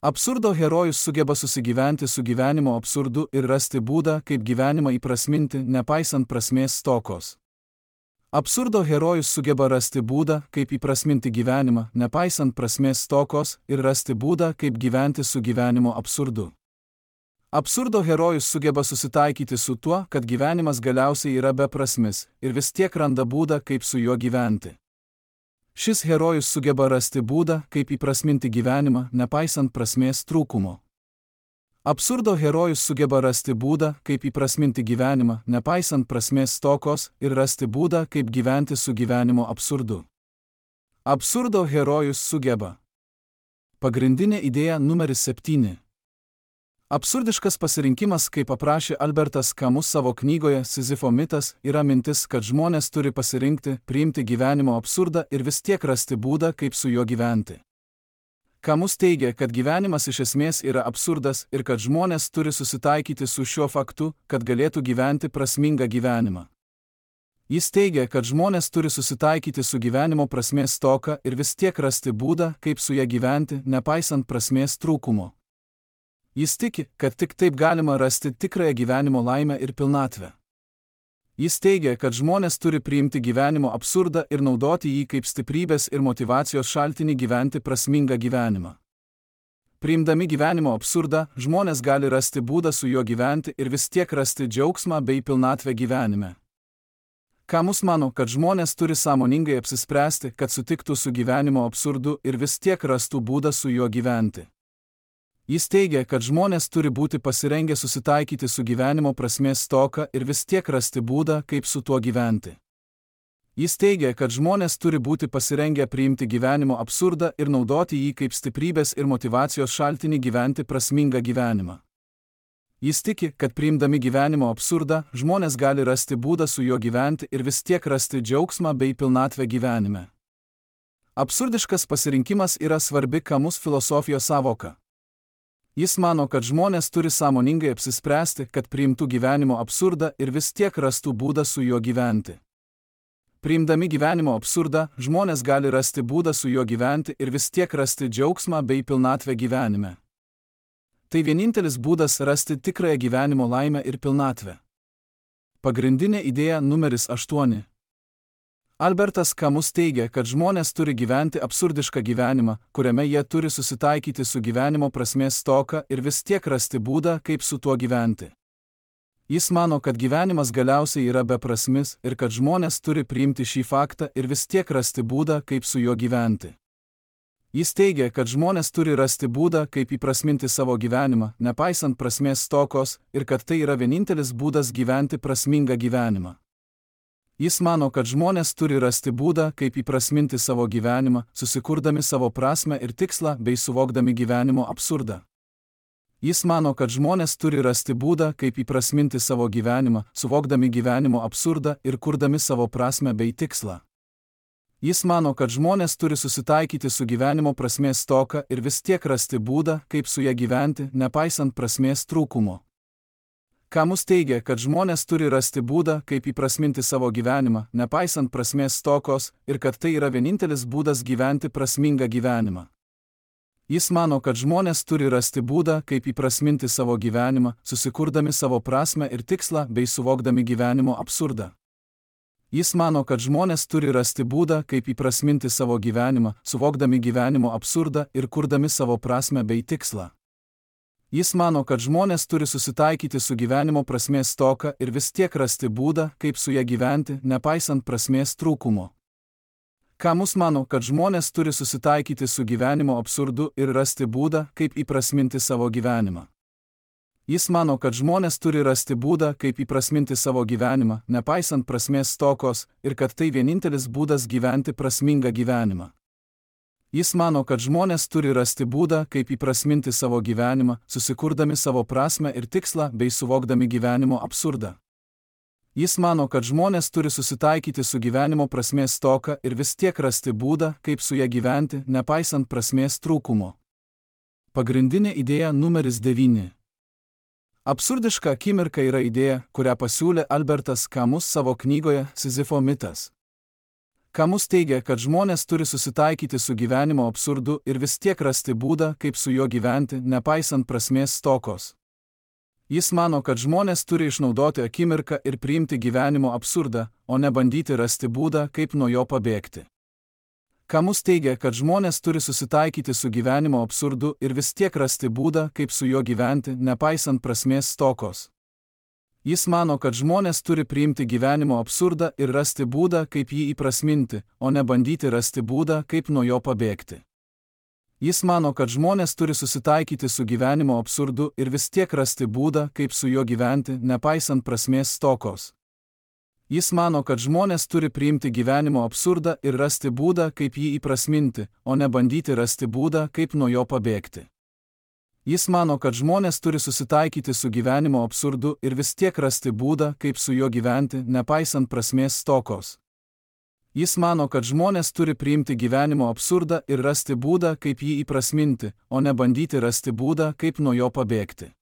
Absurdo herojus sugeba susigyventi su gyvenimo absurdu ir rasti būdą, kaip gyvenimą įprasminti, nepaisant prasmės stokos. Absurdo herojus sugeba rasti būdą, kaip įprasminti gyvenimą, nepaisant prasmės stokos ir rasti būdą, kaip gyventi su gyvenimo absurdu. Absurdo herojus sugeba susitaikyti su tuo, kad gyvenimas galiausiai yra beprasmis ir vis tiek randa būdą, kaip su juo gyventi. Šis herojus sugeba rasti būdą, kaip įprasminti gyvenimą, nepaisant prasmės trūkumo. Absurdo herojus sugeba rasti būdą, kaip įprasminti gyvenimą, nepaisant prasmės stokos ir rasti būdą, kaip gyventi su gyvenimo absurdu. Absurdo herojus sugeba. Pagrindinė idėja numeris 7. Absurdiškas pasirinkimas, kaip aprašė Albertas Camus savo knygoje Sizifo mitas, yra mintis, kad žmonės turi pasirinkti, priimti gyvenimo absurdą ir vis tiek rasti būdą, kaip su juo gyventi. Camus teigia, kad gyvenimas iš esmės yra absurdas ir kad žmonės turi susitaikyti su šiuo faktu, kad galėtų gyventi prasmingą gyvenimą. Jis teigia, kad žmonės turi susitaikyti su gyvenimo prasmės stoka ir vis tiek rasti būdą, kaip su ja gyventi, nepaisant prasmės trūkumo. Jis tiki, kad tik taip galima rasti tikrąją gyvenimo laimę ir pilnatvę. Jis teigia, kad žmonės turi priimti gyvenimo absurdą ir naudoti jį kaip stiprybės ir motyvacijos šaltinį gyventi prasmingą gyvenimą. Priimdami gyvenimo absurdą, žmonės gali rasti būdą su juo gyventi ir vis tiek rasti džiaugsmą bei pilnatvę gyvenime. Camus mano, kad žmonės turi sąmoningai apsispręsti, kad sutiktų su gyvenimo absurdu ir vis tiek rastų būdą su juo gyventi. Jis teigia, kad žmonės turi būti pasirengę susitaikyti su gyvenimo prasmės stoka ir vis tiek rasti būdą, kaip su tuo gyventi. Jis teigia, kad žmonės turi būti pasirengę priimti gyvenimo absurdą ir naudoti jį kaip stiprybės ir motyvacijos šaltinį gyventi prasmingą gyvenimą. Jis tiki, kad priimdami gyvenimo absurdą, žmonės gali rasti būdą su juo gyventi ir vis tiek rasti džiaugsmą bei pilnatvę gyvenime. Absurdiškas pasirinkimas yra svarbi Camus filosofijos sąvoka. Jis mano, kad žmonės turi sąmoningai apsispręsti, kad priimtų gyvenimo absurdą ir vis tiek rastų būdą su juo gyventi. Priimdami gyvenimo absurdą, žmonės gali rasti būdą su juo gyventi ir vis tiek rasti džiaugsmą bei pilnatvę gyvenime. Tai vienintelis būdas rasti tikrąją gyvenimo laimę ir pilnatvę. Pagrindinė idėja numeris 8. Albertas Camus teigia, kad žmonės turi gyventi absurdišką gyvenimą, kuriame jie turi susitaikyti su gyvenimo prasmės stoka ir vis tiek rasti būdą, kaip su tuo gyventi. Jis mano, kad gyvenimas galiausiai yra beprasmis ir kad žmonės turi priimti šį faktą ir vis tiek rasti būdą, kaip su juo gyventi. Jis teigia, kad žmonės turi rasti būdą, kaip įprasminti savo gyvenimą, nepaisant prasmės stokos, ir kad tai yra vienintelis būdas gyventi prasmingą gyvenimą. Jis mano, kad žmonės turi rasti būdą, kaip įprasminti savo gyvenimą, susikurdami savo prasmę ir tikslą bei suvokdami gyvenimo absurdą. Jis mano, kad žmonės turi rasti būdą, kaip įprasminti savo gyvenimą, suvokdami gyvenimo absurdą ir kurdami savo prasmę bei tikslą. Jis mano, kad žmonės turi susitaikyti su gyvenimo prasmės stoka ir vis tiek rasti būdą, kaip su ja gyventi, nepaisant prasmės trūkumo. Camus teigia, kad žmonės turi rasti būdą, kaip įprasminti savo gyvenimą, nepaisant prasmės stokos, ir kad tai yra vienintelis būdas gyventi prasmingą gyvenimą. Jis mano, kad žmonės turi rasti būdą, kaip įprasminti savo gyvenimą, susikurdami savo prasmę ir tikslą bei suvokdami gyvenimo absurdą. Jis mano, kad žmonės turi rasti būdą, kaip įprasminti savo gyvenimą, suvokdami gyvenimo absurdą ir kurdami savo prasmę bei tikslą. Jis mano, kad žmonės turi susitaikyti su gyvenimo prasmės stoka ir vis tiek rasti būdą, kaip su ja gyventi, nepaisant prasmės trūkumo. Camus mano, kad žmonės turi susitaikyti su gyvenimo absurdu ir rasti būdą, kaip įprasminti savo gyvenimą. Jis mano, kad žmonės turi rasti būdą, kaip įprasminti savo gyvenimą, nepaisant prasmės stokos, ir kad tai vienintelis būdas gyventi prasmingą gyvenimą. Jis mano, kad žmonės turi rasti būdą, kaip įprasminti savo gyvenimą, susikurdami savo prasmę ir tikslą bei suvokdami gyvenimo absurdą. Jis mano, kad žmonės turi susitaikyti su gyvenimo prasmės stoka ir vis tiek rasti būdą, kaip su ja gyventi, nepaisant prasmės trūkumo. Pagrindinė idėja numeris 9. Absurdiška akimirka yra idėja, kurią pasiūlė Albertas Camus savo knygoje Sizifo mitas. Camus teigia, kad žmonės turi susitaikyti su gyvenimo absurdu ir vis tiek rasti būdą, kaip su juo gyventi, nepaisant prasmės stokos. Jis mano, kad žmonės turi išnaudoti akimirką ir priimti gyvenimo absurdą, o ne bandyti rasti būdą, kaip nuo jo pabėgti. Camus teigia, kad žmonės turi susitaikyti su gyvenimo absurdu ir vis tiek rasti būdą, kaip su juo gyventi, nepaisant prasmės stokos. Jis mano, kad žmonės turi priimti gyvenimo absurdą ir rasti būdą, kaip jį įprasminti, o ne bandyti rasti būdą, kaip nuo jo pabėgti. Jis mano, kad žmonės turi susitaikyti su gyvenimo absurdu ir vis tiek rasti būdą, kaip su juo gyventi, nepaisant prasmės stokos. Jis mano, kad žmonės turi priimti gyvenimo absurdą ir rasti būdą, kaip jį įprasminti, o ne bandyti rasti būdą, kaip nuo jo pabėgti. Jis mano, kad žmonės turi susitaikyti su gyvenimo absurdu ir vis tiek rasti būdą, kaip su juo gyventi, nepaisant prasmės stokos. Jis mano, kad žmonės turi priimti gyvenimo absurdą ir rasti būdą, kaip jį įprasminti, o ne bandyti rasti būdą, kaip nuo jo pabėgti.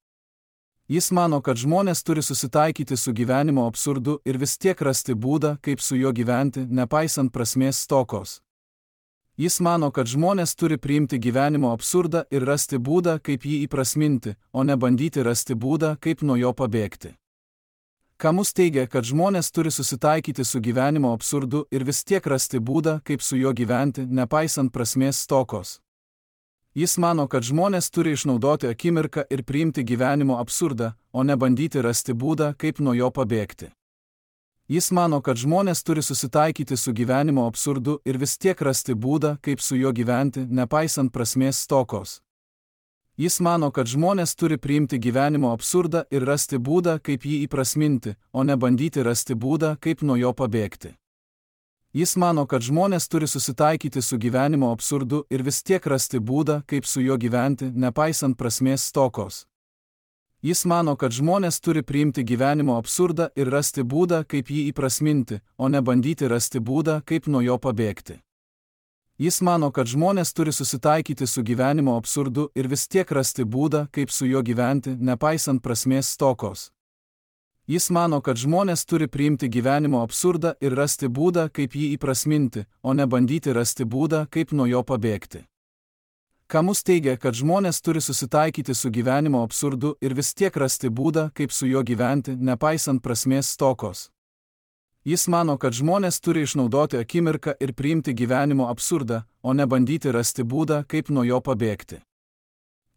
Jis mano, kad žmonės turi susitaikyti su gyvenimo absurdu ir vis tiek rasti būdą, kaip su juo gyventi, nepaisant prasmės stokos. Jis mano, kad žmonės turi priimti gyvenimo absurdą ir rasti būdą, kaip jį įprasminti, o ne bandyti rasti būdą, kaip nuo jo pabėgti. Camus teigia, kad žmonės turi susitaikyti su gyvenimo absurdu ir vis tiek rasti būdą, kaip su juo gyventi, nepaisant prasmės stokos. Jis mano, kad žmonės turi išnaudoti akimirką ir priimti gyvenimo absurdą, o ne bandyti rasti būdą, kaip nuo jo pabėgti. Jis mano, kad žmonės turi susitaikyti su gyvenimo absurdu ir vis tiek rasti būdą, kaip su juo gyventi, nepaisant prasmės stokos. Jis mano, kad žmonės turi priimti gyvenimo absurdą ir rasti būdą, kaip jį įprasminti, o ne bandyti rasti būdą, kaip nuo jo pabėgti. Jis mano, kad žmonės turi susitaikyti su gyvenimo absurdu ir vis tiek rasti būdą, kaip su juo gyventi, nepaisant prasmės stokos. Jis mano, kad žmonės turi priimti gyvenimo absurdą ir rasti būdą, kaip jį įprasminti, o ne bandyti rasti būdą, kaip nuo jo pabėgti. Jis mano, kad žmonės turi susitaikyti su gyvenimo absurdu ir vis tiek rasti būdą, kaip su juo gyventi, nepaisant prasmės stokos. Jis mano, kad žmonės turi priimti gyvenimo absurdą ir rasti būdą, kaip jį įprasminti, o ne bandyti rasti būdą, kaip nuo jo pabėgti. Camus teigia, kad žmonės turi susitaikyti su gyvenimo absurdu ir vis tiek rasti būdą, kaip su juo gyventi, nepaisant prasmės stokos. Jis mano, kad žmonės turi išnaudoti akimirką ir priimti gyvenimo absurdą, o ne bandyti rasti būdą, kaip nuo jo pabėgti.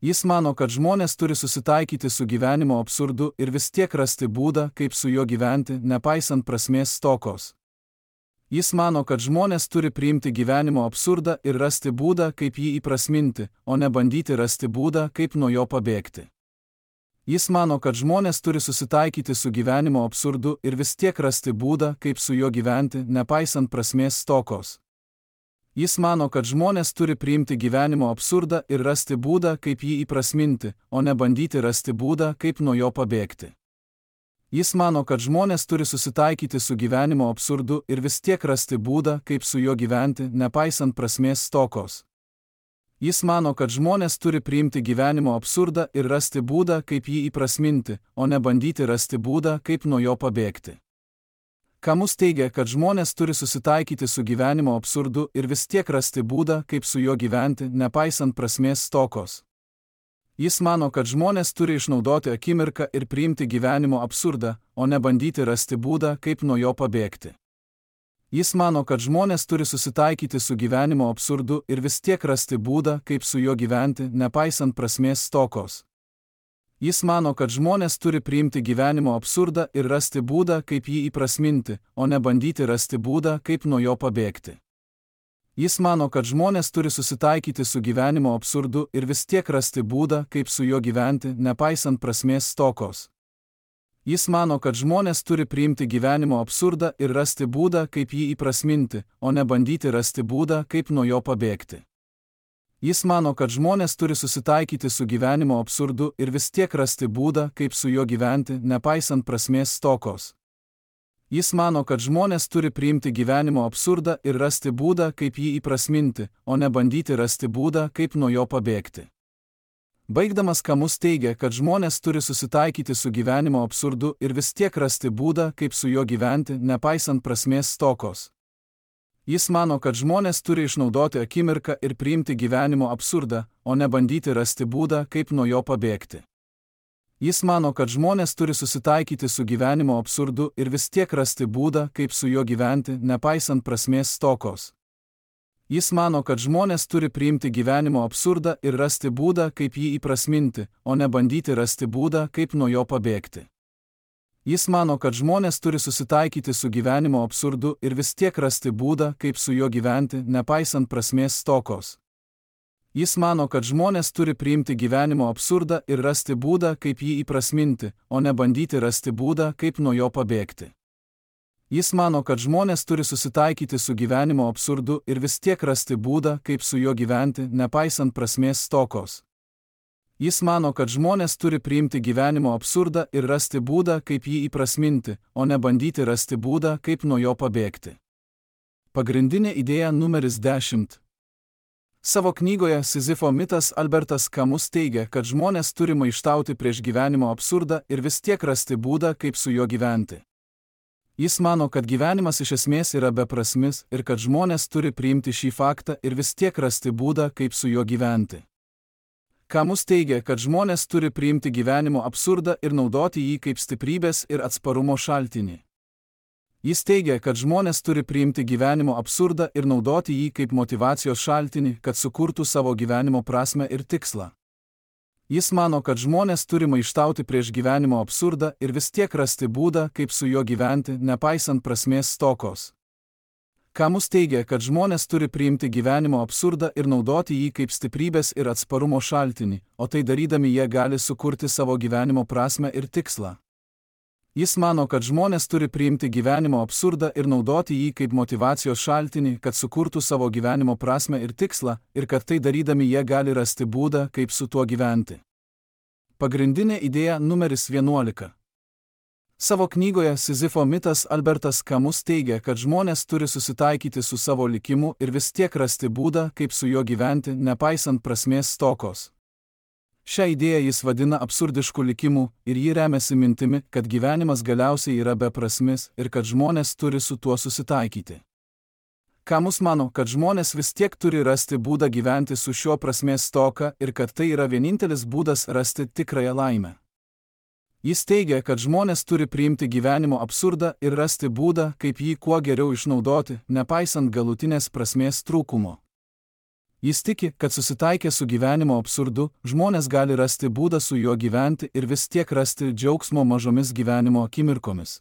Jis mano, kad žmonės turi susitaikyti su gyvenimo absurdu ir vis tiek rasti būdą, kaip su juo gyventi, nepaisant prasmės stokos. Jis mano, kad žmonės turi priimti gyvenimo absurdą ir rasti būdą, kaip jį įprasminti, o ne bandyti rasti būdą, kaip nuo jo pabėgti. Jis mano, kad žmonės turi susitaikyti su gyvenimo absurdu ir vis tiek rasti būdą, kaip su juo gyventi, nepaisant prasmės stokos. Jis mano, kad žmonės turi priimti gyvenimo absurdą ir rasti būdą, kaip jį įprasminti, o ne bandyti rasti būdą, kaip nuo jo pabėgti. Jis mano, kad žmonės turi susitaikyti su gyvenimo absurdu ir vis tiek rasti būdą, kaip su juo gyventi, nepaisant prasmės stokos. Jis mano, kad žmonės turi priimti gyvenimo absurdą ir rasti būdą, kaip jį įprasminti, o ne bandyti rasti būdą, kaip nuo jo pabėgti. Camus teigia, kad žmonės turi susitaikyti su gyvenimo absurdu ir vis tiek rasti būdą, kaip su juo gyventi, nepaisant prasmės stokos. Jis mano, kad žmonės turi išnaudoti akimirką ir priimti gyvenimo absurdą, o ne bandyti rasti būdą, kaip nuo jo pabėgti. Jis mano, kad žmonės turi susitaikyti su gyvenimo absurdu ir vis tiek rasti būdą, kaip su juo gyventi, nepaisant prasmės stokos. Jis mano, kad žmonės turi priimti gyvenimo absurdą ir rasti būdą, kaip jį įprasminti, o ne bandyti rasti būdą, kaip nuo jo pabėgti. Jis mano, kad žmonės turi susitaikyti su gyvenimo absurdu ir vis tiek rasti būdą, kaip su juo gyventi, nepaisant prasmės stokos. Jis mano, kad žmonės turi priimti gyvenimo absurdą ir rasti būdą, kaip jį įprasminti, o ne bandyti rasti būdą, kaip nuo jo pabėgti. Jis mano, kad žmonės turi susitaikyti su gyvenimo absurdu ir vis tiek rasti būdą, kaip su juo gyventi, nepaisant prasmės stokos. Jis mano, kad žmonės turi priimti gyvenimo absurdą ir rasti būdą, kaip jį įprasminti, o ne bandyti rasti būdą, kaip nuo jo pabėgti. Baigdamas Kamus teigia, kad žmonės turi susitaikyti su gyvenimo absurdu ir vis tiek rasti būdą, kaip su juo gyventi, nepaisant prasmės stokos. Jis mano, kad žmonės turi išnaudoti akimirką ir priimti gyvenimo absurdą, o ne bandyti rasti būdą, kaip nuo jo pabėgti. Jis mano, kad žmonės turi susitaikyti su gyvenimo absurdu ir vis tiek rasti būdą, kaip su juo gyventi, nepaisant prasmės stokos. Jis mano, kad žmonės turi priimti gyvenimo absurdą ir rasti būdą, kaip jį įprasminti, o ne bandyti rasti būdą, kaip nuo jo pabėgti. Jis mano, kad žmonės turi susitaikyti su gyvenimo absurdu ir vis tiek rasti būdą, kaip su juo gyventi, nepaisant prasmės stokos. Jis mano, kad žmonės turi priimti gyvenimo absurdą ir rasti būdą, kaip jį įprasminti, o ne bandyti rasti būdą, kaip nuo jo pabėgti. Jis mano, kad žmonės turi susitaikyti su gyvenimo absurdu ir vis tiek rasti būdą, kaip su juo gyventi, nepaisant prasmės stokos. Jis mano, kad žmonės turi priimti gyvenimo absurdą ir rasti būdą, kaip jį įprasminti, o ne bandyti rasti būdą, kaip nuo jo pabėgti. Pagrindinė idėja numeris 10. Savo knygoje Sizifo mitas Albertas Kamus teigia, kad žmonės turi maištauti prieš gyvenimo absurdą ir vis tiek rasti būdą, kaip su juo gyventi. Jis mano, kad gyvenimas iš esmės yra beprasmis ir kad žmonės turi priimti šį faktą ir vis tiek rasti būdą, kaip su juo gyventi. Kamus teigia, kad žmonės turi priimti gyvenimo absurdą ir naudoti jį kaip stiprybės ir atsparumo šaltinį. Jis teigia, kad žmonės turi priimti gyvenimo absurdą ir naudoti jį kaip motyvacijos šaltinį, kad sukurtų savo gyvenimo prasmę ir tikslą. Jis mano, kad žmonės turi maištauti prieš gyvenimo absurdą ir vis tiek rasti būdą, kaip su juo gyventi, nepaisant prasmės stokos. Kamus teigia, kad žmonės turi priimti gyvenimo absurdą ir naudoti jį kaip stiprybės ir atsparumo šaltinį, o tai darydami jie gali sukurti savo gyvenimo prasmę ir tikslą. Jis mano, kad žmonės turi priimti gyvenimo absurdą ir naudoti jį kaip motyvacijos šaltinį, kad sukurtų savo gyvenimo prasmę ir tikslą, ir kad tai darydami jie gali rasti būdą, kaip su tuo gyventi. Pagrindinė idėja numeris 11. Savo knygoje Sizifo mitas Albertas Kamus teigia, kad žmonės turi susitaikyti su savo likimu ir vis tiek rasti būdą, kaip su juo gyventi, nepaisant prasmės stokos. Šią idėją jis vadina absurdišku likimu ir jį remiasi mintimi, kad gyvenimas galiausiai yra beprasmis ir kad žmonės turi su tuo susitaikyti. Kamus mano, kad žmonės vis tiek turi rasti būdą gyventi su šiuo prasmės stoka ir kad tai yra vienintelis būdas rasti tikrąją laimę. Jis teigia, kad žmonės turi priimti gyvenimo absurdą ir rasti būdą, kaip jį kuo geriau išnaudoti, nepaisant galutinės prasmės trūkumo. Jis tiki, kad susitaikę su gyvenimo absurdu, žmonės gali rasti būdą su juo gyventi ir vis tiek rasti džiaugsmo mažomis gyvenimo akimirkomis.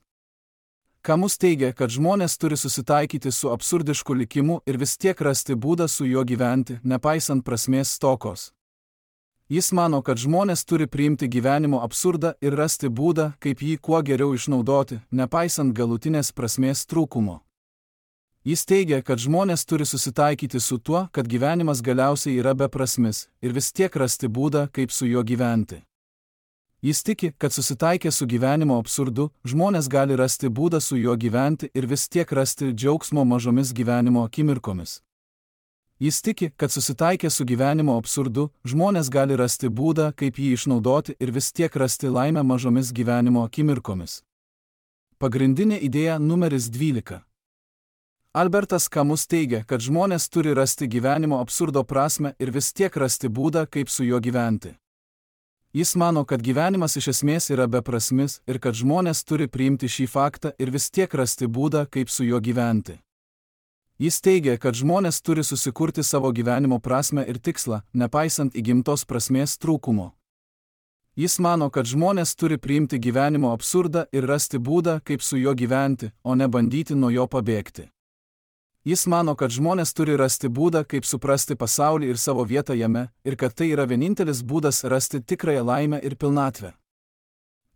Kamus teigia, kad žmonės turi susitaikyti su absurdišku likimu ir vis tiek rasti būdą su juo gyventi, nepaisant prasmės stokos. Jis mano, kad žmonės turi priimti gyvenimo absurdą ir rasti būdą, kaip jį kuo geriau išnaudoti, nepaisant galutinės prasmės trūkumo. Jis teigia, kad žmonės turi susitaikyti su tuo, kad gyvenimas galiausiai yra beprasmis ir vis tiek rasti būdą, kaip su juo gyventi. Jis tiki, kad susitaikę su gyvenimo absurdu, žmonės gali rasti būdą su juo gyventi ir vis tiek rasti džiaugsmo mažomis gyvenimo akimirkomis. Jis tiki, kad susitaikę su gyvenimo absurdu, žmonės gali rasti būdą, kaip jį išnaudoti ir vis tiek rasti laimę mažomis gyvenimo akimirkomis. Pagrindinė idėja numeris 12. Albertas Kamus teigia, kad žmonės turi rasti gyvenimo absurdo prasmę ir vis tiek rasti būdą, kaip su juo gyventi. Jis mano, kad gyvenimas iš esmės yra beprasmis ir kad žmonės turi priimti šį faktą ir vis tiek rasti būdą, kaip su juo gyventi. Jis teigia, kad žmonės turi susikurti savo gyvenimo prasmę ir tikslą, nepaisant įgimtos prasmės trūkumo. Jis mano, kad žmonės turi priimti gyvenimo absurdą ir rasti būdą, kaip su juo gyventi, o ne bandyti nuo jo pabėgti. Jis mano, kad žmonės turi rasti būdą, kaip suprasti pasaulį ir savo vietą jame, ir kad tai yra vienintelis būdas rasti tikrąją laimę ir pilnatvę.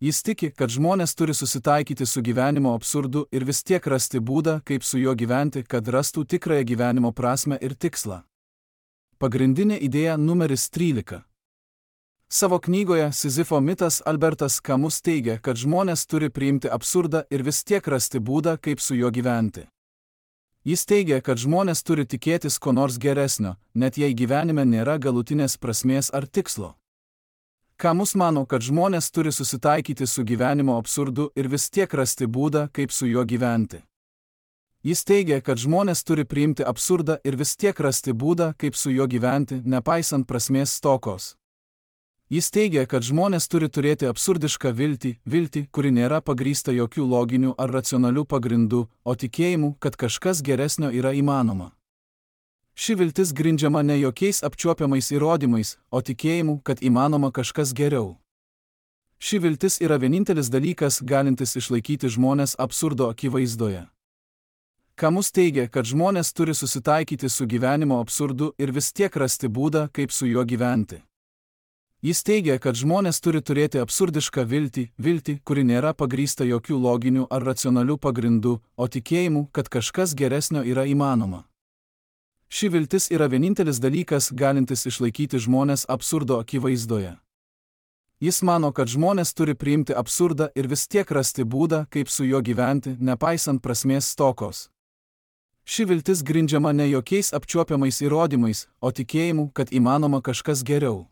Jis tiki, kad žmonės turi susitaikyti su gyvenimo absurdu ir vis tiek rasti būdą, kaip su juo gyventi, kad rastų tikrąją gyvenimo prasmę ir tikslą. Pagrindinė idėja numeris 13. Savo knygoje Sizifo mitas Albertas Camus teigia, kad žmonės turi priimti absurdą ir vis tiek rasti būdą, kaip su juo gyventi. Jis teigia, kad žmonės turi tikėtis ko nors geresnio, net jei gyvenime nėra galutinės prasmės ar tikslo. Camus mano, kad žmonės turi susitaikyti su gyvenimo absurdu ir vis tiek rasti būdą, kaip su juo gyventi. Jis teigia, kad žmonės turi priimti absurdą ir vis tiek rasti būdą, kaip su juo gyventi, nepaisant prasmės stokos. Jis teigia, kad žmonės turi turėti absurdišką viltį, kuri nėra pagrįsta jokių loginių ar racionalių pagrindų, o tikėjimu, kad kažkas geresnio yra įmanoma. Ši viltis grindžiama ne jokiais apčiuopiamais įrodymais, o tikėjimu, kad įmanoma kažkas geriau. Ši viltis yra vienintelis dalykas, galintis išlaikyti žmonės absurdo akivaizdoje. Camus teigia, kad žmonės turi susitaikyti su gyvenimo absurdu ir vis tiek rasti būdą, kaip su juo gyventi. Jis teigia, kad žmonės turi turėti absurdišką viltį, kuri nėra pagrįsta jokių loginių ar racionalių pagrindų, o tikėjimu, kad kažkas geresnio yra įmanoma. Ši viltis yra vienintelis dalykas, galintis išlaikyti žmonės absurdo akivaizdoje. Jis mano, kad žmonės turi priimti absurdą ir vis tiek rasti būdą, kaip su juo gyventi, nepaisant prasmės stokos. Ši viltis grindžiama ne jokiais apčiuopiamais įrodymais, o tikėjimu, kad įmanoma kažkas geriau.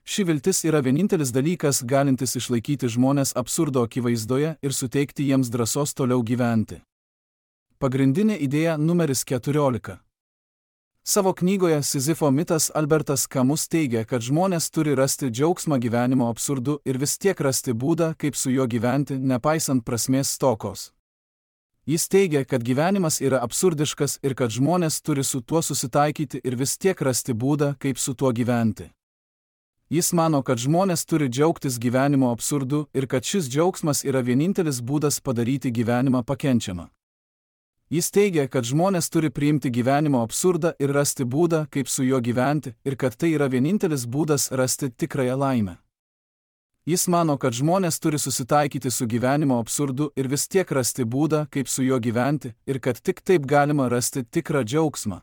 Ši viltis yra vienintelis dalykas, galintis išlaikyti žmonės absurdo akivaizdoje ir suteikti jiems drąsos toliau gyventi. Pagrindinė idėja numeris 14. Savo knygoje Sizifo mitas Albertas Camus teigia, kad žmonės turi rasti džiaugsmą gyvenimo absurdu ir vis tiek rasti būdą, kaip su juo gyventi, nepaisant prasmės stokos. Jis teigia, kad gyvenimas yra absurdiškas ir kad žmonės turi su tuo susitaikyti ir vis tiek rasti būdą, kaip su tuo gyventi. Jis mano, kad žmonės turi džiaugtis gyvenimo absurdu ir kad šis džiaugsmas yra vienintelis būdas padaryti gyvenimą pakenčiamą. Jis teigia, kad žmonės turi priimti gyvenimo absurdą ir rasti būdą, kaip su juo gyventi, ir kad tai yra vienintelis būdas rasti tikrąją laimę. Jis mano, kad žmonės turi susitaikyti su gyvenimo absurdu ir vis tiek rasti būdą, kaip su juo gyventi, ir kad tik taip galima rasti tikrą džiaugsmą.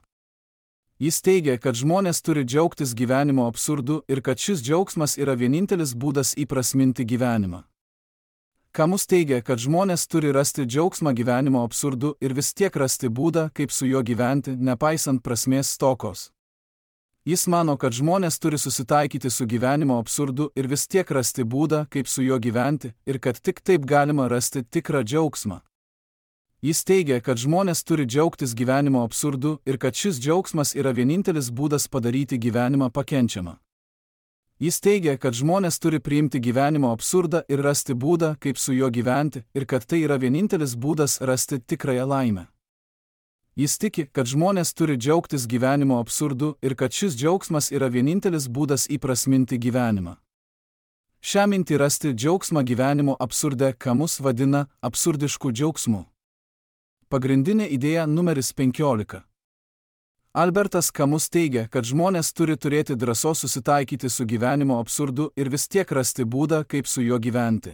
Jis teigia, kad žmonės turi džiaugtis gyvenimo absurdu ir kad šis džiaugsmas yra vienintelis būdas įprasminti gyvenimą. Camus teigia, kad žmonės turi rasti džiaugsmą gyvenimo absurdu ir vis tiek rasti būdą, kaip su juo gyventi, nepaisant prasmės stokos. Jis mano, kad žmonės turi susitaikyti su gyvenimo absurdu ir vis tiek rasti būdą, kaip su juo gyventi, ir kad tik taip galima rasti tikrą džiaugsmą. Jis teigia, kad žmonės turi džiaugtis gyvenimo absurdu ir kad šis džiaugsmas yra vienintelis būdas padaryti gyvenimą pakenčiamą. Jis teigia, kad žmonės turi priimti gyvenimo absurdą ir rasti būdą, kaip su juo gyventi, ir kad tai yra vienintelis būdas rasti tikrąją laimę. Jis tiki, kad žmonės turi džiaugtis gyvenimo absurdu ir kad šis džiaugsmas yra vienintelis būdas įprasminti gyvenimą. Šią mintį rasti džiaugsmą gyvenimo absurde Camus vadina absurdišku džiaugsmu. Pagrindinė idėja numeris 15. Albertas Camus teigia, kad žmonės turi turėti drąsos susitaikyti su gyvenimo absurdu ir vis tiek rasti būdą, kaip su juo gyventi.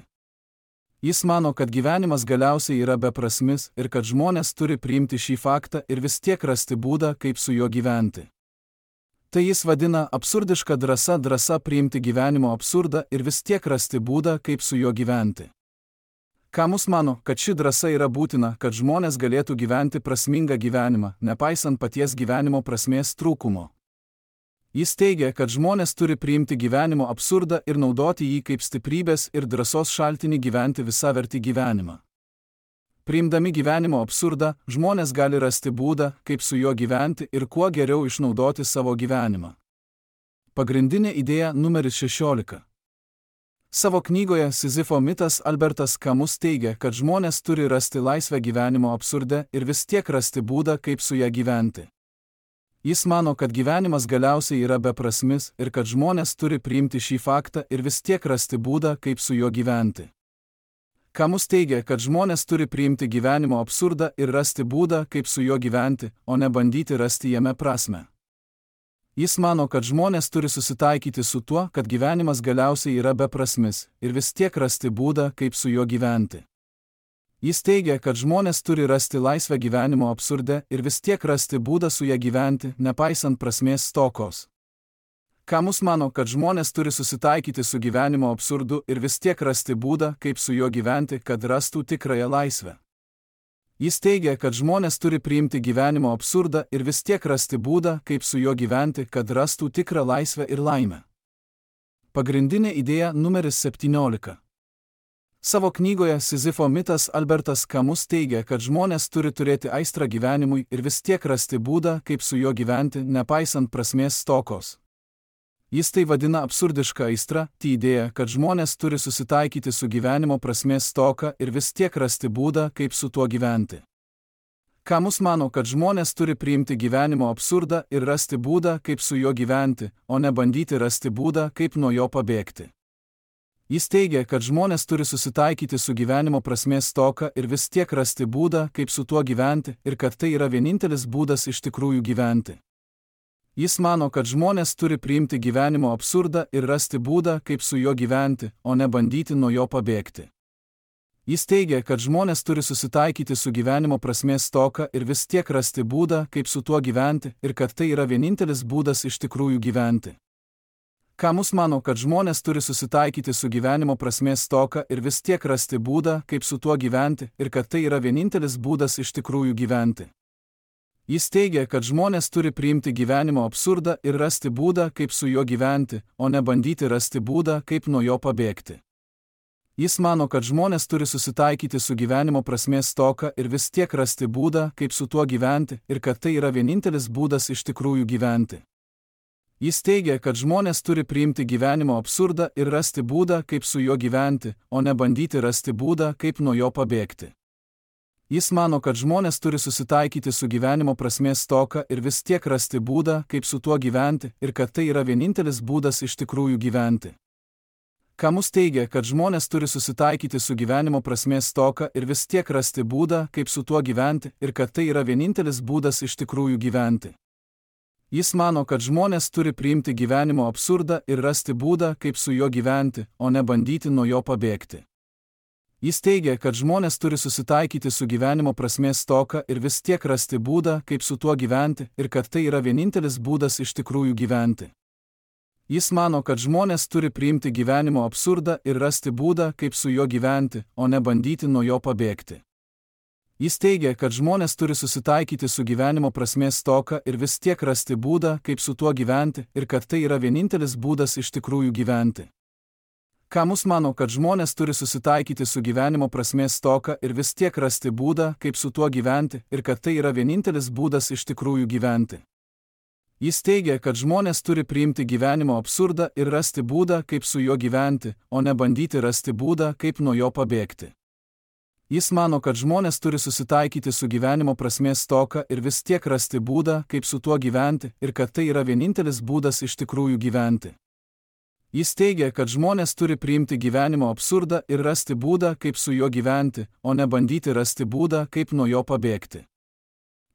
Jis mano, kad gyvenimas galiausiai yra beprasmis ir kad žmonės turi priimti šį faktą ir vis tiek rasti būdą, kaip su juo gyventi. Tai jis vadina absurdiška drąsa priimti gyvenimo absurdą ir vis tiek rasti būdą, kaip su juo gyventi. Camus mano, kad ši drąsa yra būtina, kad žmonės galėtų gyventi prasmingą gyvenimą, nepaisant paties gyvenimo prasmės trūkumo. Jis teigia, kad žmonės turi priimti gyvenimo absurdą ir naudoti jį kaip stiprybės ir drąsos šaltinį gyventi visavertį gyvenimą. Priimdami gyvenimo absurdą, žmonės gali rasti būdą, kaip su juo gyventi ir kuo geriau išnaudoti savo gyvenimą. Pagrindinė idėja numeris 16. Savo knygoje Sizifo mitas Albertas Camus teigia, kad žmonės turi rasti laisvę gyvenimo absurde ir vis tiek rasti būdą, kaip su ją gyventi. Jis mano, kad gyvenimas galiausiai yra beprasmis ir kad žmonės turi priimti šį faktą ir vis tiek rasti būdą, kaip su juo gyventi. Camus teigia, kad žmonės turi priimti gyvenimo absurdą ir rasti būdą, kaip su juo gyventi, o ne bandyti rasti jame prasmę. Jis mano, kad žmonės turi susitaikyti su tuo, kad gyvenimas galiausiai yra beprasmis, ir vis tiek rasti būdą, kaip su juo gyventi. Jis teigia, kad žmonės turi rasti laisvę gyvenimo absurde ir vis tiek rasti būdą su ja gyventi, nepaisant prasmės stokos. Kamus mano, kad žmonės turi susitaikyti su gyvenimo absurdu ir vis tiek rasti būdą, kaip su juo gyventi, kad rastų tikrąją laisvę. Jis teigia, kad žmonės turi priimti gyvenimo absurdą ir vis tiek rasti būdą, kaip su juo gyventi, kad rastų tikrą laisvę ir laimę. Pagrindinė idėja numeris 17. Savo knygoje Sizifo mitas Albertas Kamus teigia, kad žmonės turi turėti aistrą gyvenimui ir vis tiek rasti būdą, kaip su juo gyventi, nepaisant prasmės stokos. Jis tai vadina absurdiška aistra, tai idėja, kad žmonės turi susitaikyti su gyvenimo prasmės stoka ir vis tiek rasti būdą, kaip su tuo gyventi. Kamus mano, kad žmonės turi priimti gyvenimo absurdą ir rasti būdą, kaip su juo gyventi, o ne bandyti rasti būdą, kaip nuo jo pabėgti. Jis teigia, kad žmonės turi susitaikyti su gyvenimo prasmės stoka ir vis tiek rasti būdą, kaip su tuo gyventi, ir kad tai yra vienintelis būdas iš tikrųjų gyventi. Jis mano, kad žmonės turi priimti gyvenimo absurdą ir rasti būdą, kaip su juo gyventi, o ne bandyti nuo jo pabėgti. Jis teigia, kad žmonės turi susitaikyti su gyvenimo prasmės stoka ir vis tiek rasti būdą, kaip su tuo gyventi, ir kad tai yra vienintelis būdas iš tikrųjų gyventi. Kamus mano, kad žmonės turi susitaikyti su gyvenimo prasmės stoka ir vis tiek rasti būdą, kaip su tuo gyventi, ir kad tai yra vienintelis būdas iš tikrųjų gyventi. Jis teigia, kad žmonės turi priimti gyvenimo absurdą ir rasti būdą, kaip su juo gyventi, o ne bandyti rasti būdą, kaip nuo jo pabėgti. Jis mano, kad žmonės turi susitaikyti su gyvenimo prasmės stoka ir vis tiek rasti būdą, kaip su tuo gyventi, ir kad tai yra vienintelis būdas iš tikrųjų gyventi. Jis teigia, kad žmonės turi priimti gyvenimo absurdą ir rasti būdą, kaip su juo gyventi, o ne bandyti rasti būdą, kaip nuo jo pabėgti. Jis mano, kad žmonės turi susitaikyti su gyvenimo prasmės stoka ir vis tiek rasti būdą, kaip su tuo gyventi, ir kad tai yra vienintelis būdas iš tikrųjų gyventi. Kamus teigia, kad žmonės turi susitaikyti su gyvenimo prasmės stoka ir vis tiek rasti būdą, kaip su tuo gyventi, ir kad tai yra vienintelis būdas iš tikrųjų gyventi. Jis mano, kad žmonės turi priimti gyvenimo absurdą ir rasti būdą, kaip su juo gyventi, o ne bandyti nuo jo pabėgti. Jis teigia, kad žmonės turi susitaikyti su gyvenimo prasmės stoka ir vis tiek rasti būdą, kaip su tuo gyventi, ir kad tai yra vienintelis būdas iš tikrųjų gyventi. Jis mano, kad žmonės turi priimti gyvenimo absurdą ir rasti būdą, kaip su juo gyventi, o ne bandyti nuo jo pabėgti. Jis teigia, kad žmonės turi susitaikyti su gyvenimo prasmės stoka ir vis tiek rasti būdą, kaip su tuo gyventi, ir kad tai yra vienintelis būdas iš tikrųjų gyventi. Kamus mano, kad žmonės turi susitaikyti su gyvenimo prasmės stoka ir vis tiek rasti būdą, kaip su tuo gyventi, ir kad tai yra vienintelis būdas iš tikrųjų gyventi. Jis teigia, kad žmonės turi priimti gyvenimo absurdą ir rasti būdą, kaip su juo gyventi, o ne bandyti rasti būdą, kaip nuo jo pabėgti. Jis mano, kad žmonės turi susitaikyti su gyvenimo prasmės stoka ir vis tiek rasti būdą, kaip su tuo gyventi, ir kad tai yra vienintelis būdas iš tikrųjų gyventi. Jis teigia, kad žmonės turi priimti gyvenimo absurdą ir rasti būdą, kaip su juo gyventi, o ne bandyti rasti būdą, kaip nuo jo pabėgti.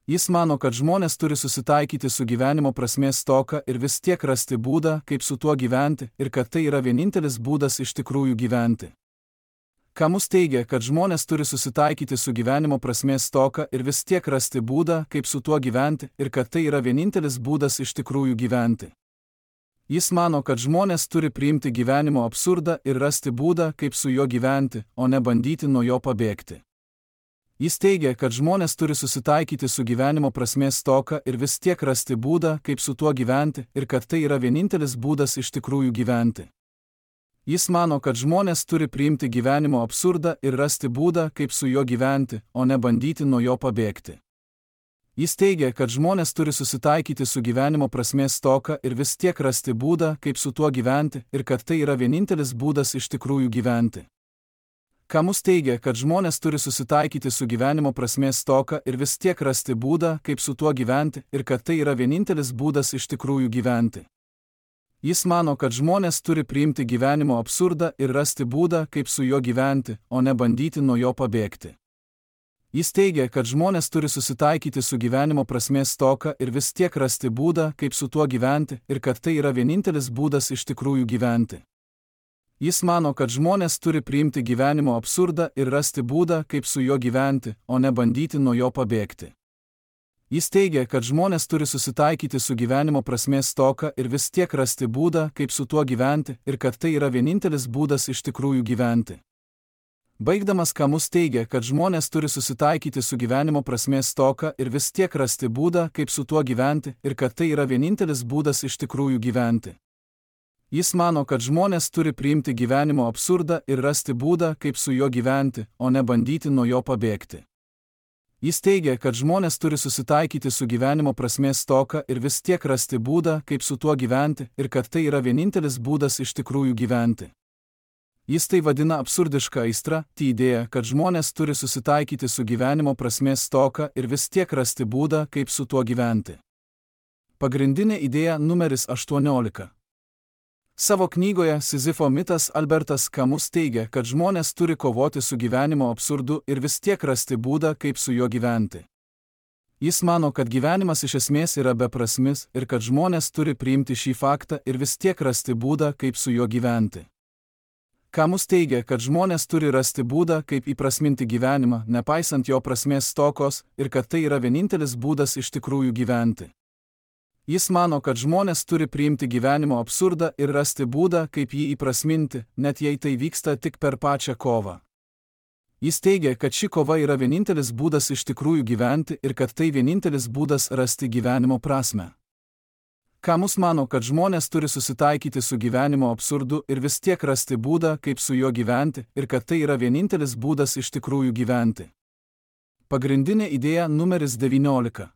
Jis mano, kad žmonės turi susitaikyti su gyvenimo prasmės stoka ir vis tiek rasti būdą, kaip su tuo gyventi, ir kad tai yra vienintelis būdas iš tikrųjų gyventi. Kamus teigia, kad žmonės turi susitaikyti su gyvenimo prasmės stoka ir vis tiek rasti būdą, kaip su tuo gyventi, ir kad tai yra vienintelis būdas iš tikrųjų gyventi. Jis mano, kad žmonės turi priimti gyvenimo absurdą ir rasti būdą, kaip su juo gyventi, o ne bandyti nuo jo pabėgti. Jis teigia, kad žmonės turi susitaikyti su gyvenimo prasmės stoka ir vis tiek rasti būdą, kaip su tuo gyventi, ir kad tai yra vienintelis būdas iš tikrųjų gyventi. Jis mano, kad žmonės turi priimti gyvenimo absurdą ir rasti būdą, kaip su juo gyventi, o ne bandyti nuo jo pabėgti. Jis teigia, kad žmonės turi susitaikyti su gyvenimo prasmės stoka ir vis tiek rasti būdą, kaip su tuo gyventi, ir kad tai yra vienintelis būdas iš tikrųjų gyventi. Kamus teigia, kad žmonės turi susitaikyti su gyvenimo prasmės stoka ir vis tiek rasti būdą, kaip su tuo gyventi, ir kad tai yra vienintelis būdas iš tikrųjų gyventi. Jis mano, kad žmonės turi priimti gyvenimo absurdą ir rasti būdą, kaip su juo gyventi, o ne bandyti nuo jo pabėgti. Jis teigia, kad žmonės turi susitaikyti su gyvenimo prasmės stoka ir vis tiek rasti būdą, kaip su tuo gyventi, ir kad tai yra vienintelis būdas iš tikrųjų gyventi. Jis mano, kad žmonės turi priimti gyvenimo absurdą ir rasti būdą, kaip su juo gyventi, o ne bandyti nuo jo pabėgti. Jis teigia, kad žmonės turi susitaikyti su gyvenimo prasmės stoka ir vis tiek rasti būdą, kaip su tuo gyventi, ir kad tai yra vienintelis būdas iš tikrųjų gyventi. Baigdamas Kamus teigia, kad žmonės turi susitaikyti su gyvenimo prasmės stoka ir vis tiek rasti būdą, kaip su tuo gyventi, ir kad tai yra vienintelis būdas iš tikrųjų gyventi. Jis mano, kad žmonės turi priimti gyvenimo absurdą ir rasti būdą, kaip su juo gyventi, o ne bandyti nuo jo pabėgti. Jis teigia, kad žmonės turi susitaikyti su gyvenimo prasmės stoka ir vis tiek rasti būdą, kaip su tuo gyventi, ir kad tai yra vienintelis būdas iš tikrųjų gyventi. Jis tai vadina absurdiška aistra, tai idėja, kad žmonės turi susitaikyti su gyvenimo prasmės stoka ir vis tiek rasti būdą, kaip su tuo gyventi. Pagrindinė idėja numeris 18. Savo knygoje Sizifo mitas Albertas Kamus teigia, kad žmonės turi kovoti su gyvenimo absurdu ir vis tiek rasti būdą, kaip su juo gyventi. Jis mano, kad gyvenimas iš esmės yra beprasmis ir kad žmonės turi priimti šį faktą ir vis tiek rasti būdą, kaip su juo gyventi. Kamus teigia, kad žmonės turi rasti būdą, kaip įprasminti gyvenimą, nepaisant jo prasmės stokos, ir kad tai yra vienintelis būdas iš tikrųjų gyventi. Jis mano, kad žmonės turi priimti gyvenimo absurdą ir rasti būdą, kaip jį įprasminti, net jei tai vyksta tik per pačią kovą. Jis teigia, kad ši kova yra vienintelis būdas iš tikrųjų gyventi ir kad tai vienintelis būdas rasti gyvenimo prasmę. Kamus mano, kad žmonės turi susitaikyti su gyvenimo absurdu ir vis tiek rasti būdą, kaip su juo gyventi, ir kad tai yra vienintelis būdas iš tikrųjų gyventi. Pagrindinė idėja numeris 19.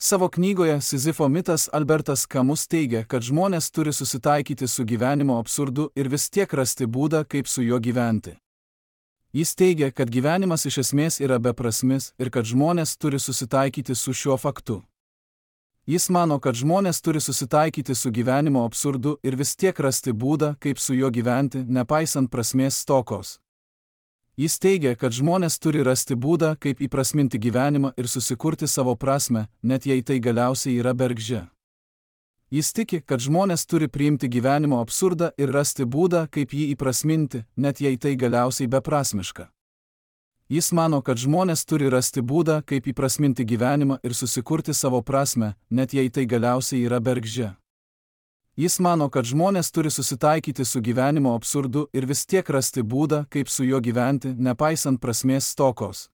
Savo knygoje Sizifo mitas Albertas Kamus teigia, kad žmonės turi susitaikyti su gyvenimo absurdu ir vis tiek rasti būdą, kaip su juo gyventi. Jis teigia, kad gyvenimas iš esmės yra beprasmis ir kad žmonės turi susitaikyti su šiuo faktu. Jis mano, kad žmonės turi susitaikyti su gyvenimo absurdu ir vis tiek rasti būdą, kaip su juo gyventi, nepaisant prasmės stokos. Jis teigia, kad žmonės turi rasti būdą, kaip įprasminti gyvenimą ir susikurti savo prasmę, net jei tai galiausiai yra bergždžia. Jis tiki, kad žmonės turi priimti gyvenimo absurdą ir rasti būdą, kaip jį įprasminti, net jei tai galiausiai beprasmiška. Jis mano, kad žmonės turi rasti būdą, kaip įprasminti gyvenimą ir susikurti savo prasmę, net jei tai galiausiai yra bergždžia. Jis mano, kad žmonės turi susitaikyti su gyvenimo absurdu ir vis tiek rasti būdą, kaip su juo gyventi, nepaisant prasmės stokos.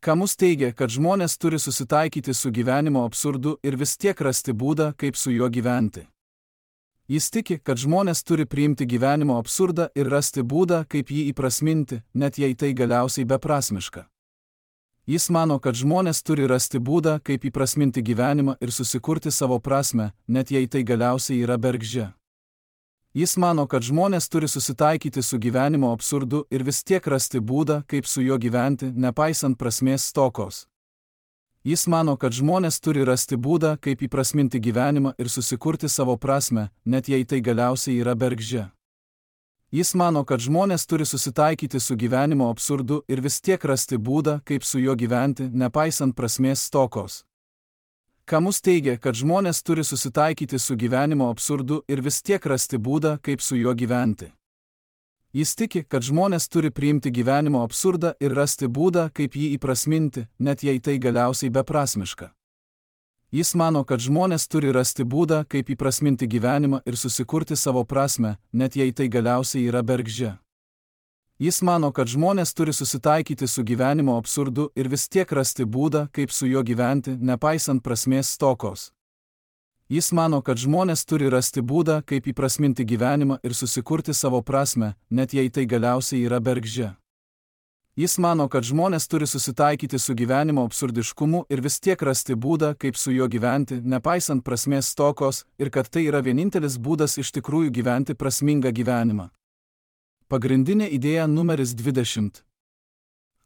Kamus teigia, kad žmonės turi susitaikyti su gyvenimo absurdu ir vis tiek rasti būdą, kaip su juo gyventi. Jis tiki, kad žmonės turi priimti gyvenimo absurdą ir rasti būdą, kaip jį įprasminti, net jei tai galiausiai beprasmiška. Jis mano, kad žmonės turi rasti būdą, kaip įprasminti gyvenimą ir susikurti savo prasmę, net jei tai galiausiai yra bergždžia. Jis mano, kad žmonės turi susitaikyti su gyvenimo absurdu ir vis tiek rasti būdą, kaip su juo gyventi, nepaisant prasmės stokos. Jis mano, kad žmonės turi rasti būdą, kaip įprasminti gyvenimą ir susikurti savo prasmę, net jei tai galiausiai yra bergždžia. Jis mano, kad žmonės turi susitaikyti su gyvenimo absurdu ir vis tiek rasti būdą, kaip su juo gyventi, nepaisant prasmės stokos. Kamus teigia, kad žmonės turi susitaikyti su gyvenimo absurdu ir vis tiek rasti būdą, kaip su juo gyventi. Jis tiki, kad žmonės turi priimti gyvenimo absurdą ir rasti būdą, kaip jį įprasminti, net jei tai galiausiai beprasmiška. Jis mano, kad žmonės turi rasti būdą, kaip įprasminti gyvenimą ir susikurti savo prasmę, net jei tai galiausiai yra bergždžia. Jis mano, kad žmonės turi susitaikyti su gyvenimo absurdu ir vis tiek rasti būdą, kaip su juo gyventi, nepaisant prasmės stokos. Jis mano, kad žmonės turi rasti būdą, kaip įprasminti gyvenimą ir susikurti savo prasmę, net jei tai galiausiai yra bergždžia. Jis mano, kad žmonės turi susitaikyti su gyvenimo absurdiškumu ir vis tiek rasti būdą, kaip su juo gyventi, nepaisant prasmės stokos, ir kad tai yra vienintelis būdas iš tikrųjų gyventi prasmingą gyvenimą. Pagrindinė idėja numeris 20.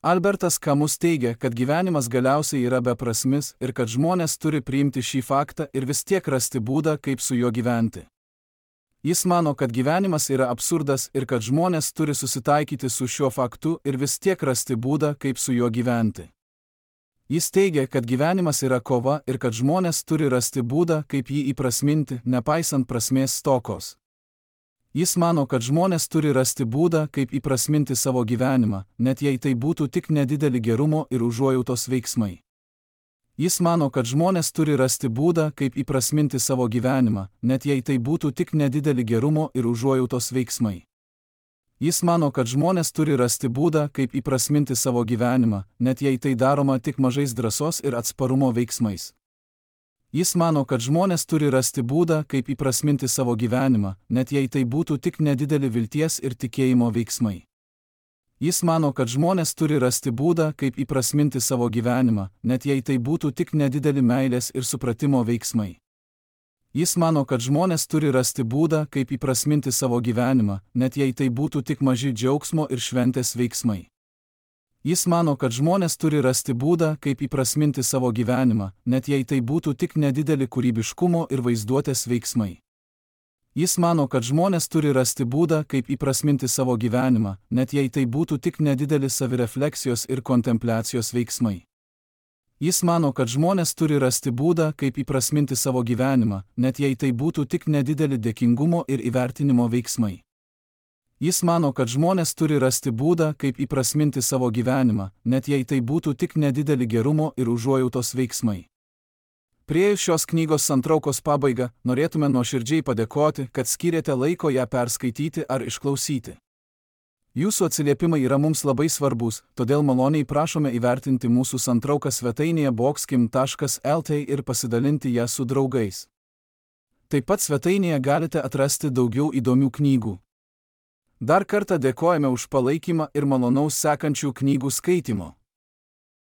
Albertas Kamus teigia, kad gyvenimas galiausiai yra beprasmis ir kad žmonės turi priimti šį faktą ir vis tiek rasti būdą, kaip su juo gyventi. Jis mano, kad gyvenimas yra absurdas ir kad žmonės turi susitaikyti su šiuo faktu ir vis tiek rasti būdą, kaip su juo gyventi. Jis teigia, kad gyvenimas yra kova ir kad žmonės turi rasti būdą, kaip jį įprasminti, nepaisant prasmės stokos. Jis mano, kad žmonės turi rasti būdą, kaip įprasminti savo gyvenimą, net jei tai būtų tik nedideli gerumo ir užuojautos veiksmai. Jis mano, kad žmonės turi rasti būdą, kaip įprasminti savo gyvenimą, net jei tai būtų tik nedideli gerumo ir užuojautos veiksmai. Jis mano, kad žmonės turi rasti būdą, kaip įprasminti savo gyvenimą, net jei tai daroma tik mažais drąsos ir atsparumo veiksmais. Jis mano, kad žmonės turi rasti būdą, kaip įprasminti savo gyvenimą, net jei tai būtų tik nedideli vilties ir tikėjimo veiksmai. Jis mano, kad žmonės turi rasti būdą, kaip įprasminti savo gyvenimą, net jei tai būtų tik nedideli meilės ir supratimo veiksmai. Jis mano, kad žmonės turi rasti būdą, kaip įprasminti savo gyvenimą, net jei tai būtų tik maži džiaugsmo ir šventės veiksmai. Jis mano, kad žmonės turi rasti būdą, kaip įprasminti savo gyvenimą, net jei tai būtų tik nedideli kūrybiškumo ir vaizduotės veiksmai. Jis mano, kad žmonės turi rasti būdą, kaip įprasminti savo gyvenimą, net jei tai būtų tik nedideli savirefleksijos ir kontempliacijos veiksmai. Jis mano, kad žmonės turi rasti būdą, kaip įprasminti savo gyvenimą, net jei tai būtų tik nedideli dėkingumo ir įvertinimo veiksmai. Jis mano, kad žmonės turi rasti būdą, kaip įprasminti savo gyvenimą, net jei tai būtų tik nedideli gerumo ir užuojautos veiksmai. Priėjus šios knygos santraukos pabaigą, norėtume nuoširdžiai padėkoti, kad skyrėte laiko ją perskaityti ar išklausyti. Jūsų atsiliepimai yra mums labai svarbus, todėl maloniai prašome įvertinti mūsų santrauką svetainėje boxkim.lt ir pasidalinti ją su draugais. Taip pat svetainėje galite atrasti daugiau įdomių knygų. Dar kartą dėkojame už palaikymą ir malonaus sekančių knygų skaitymo.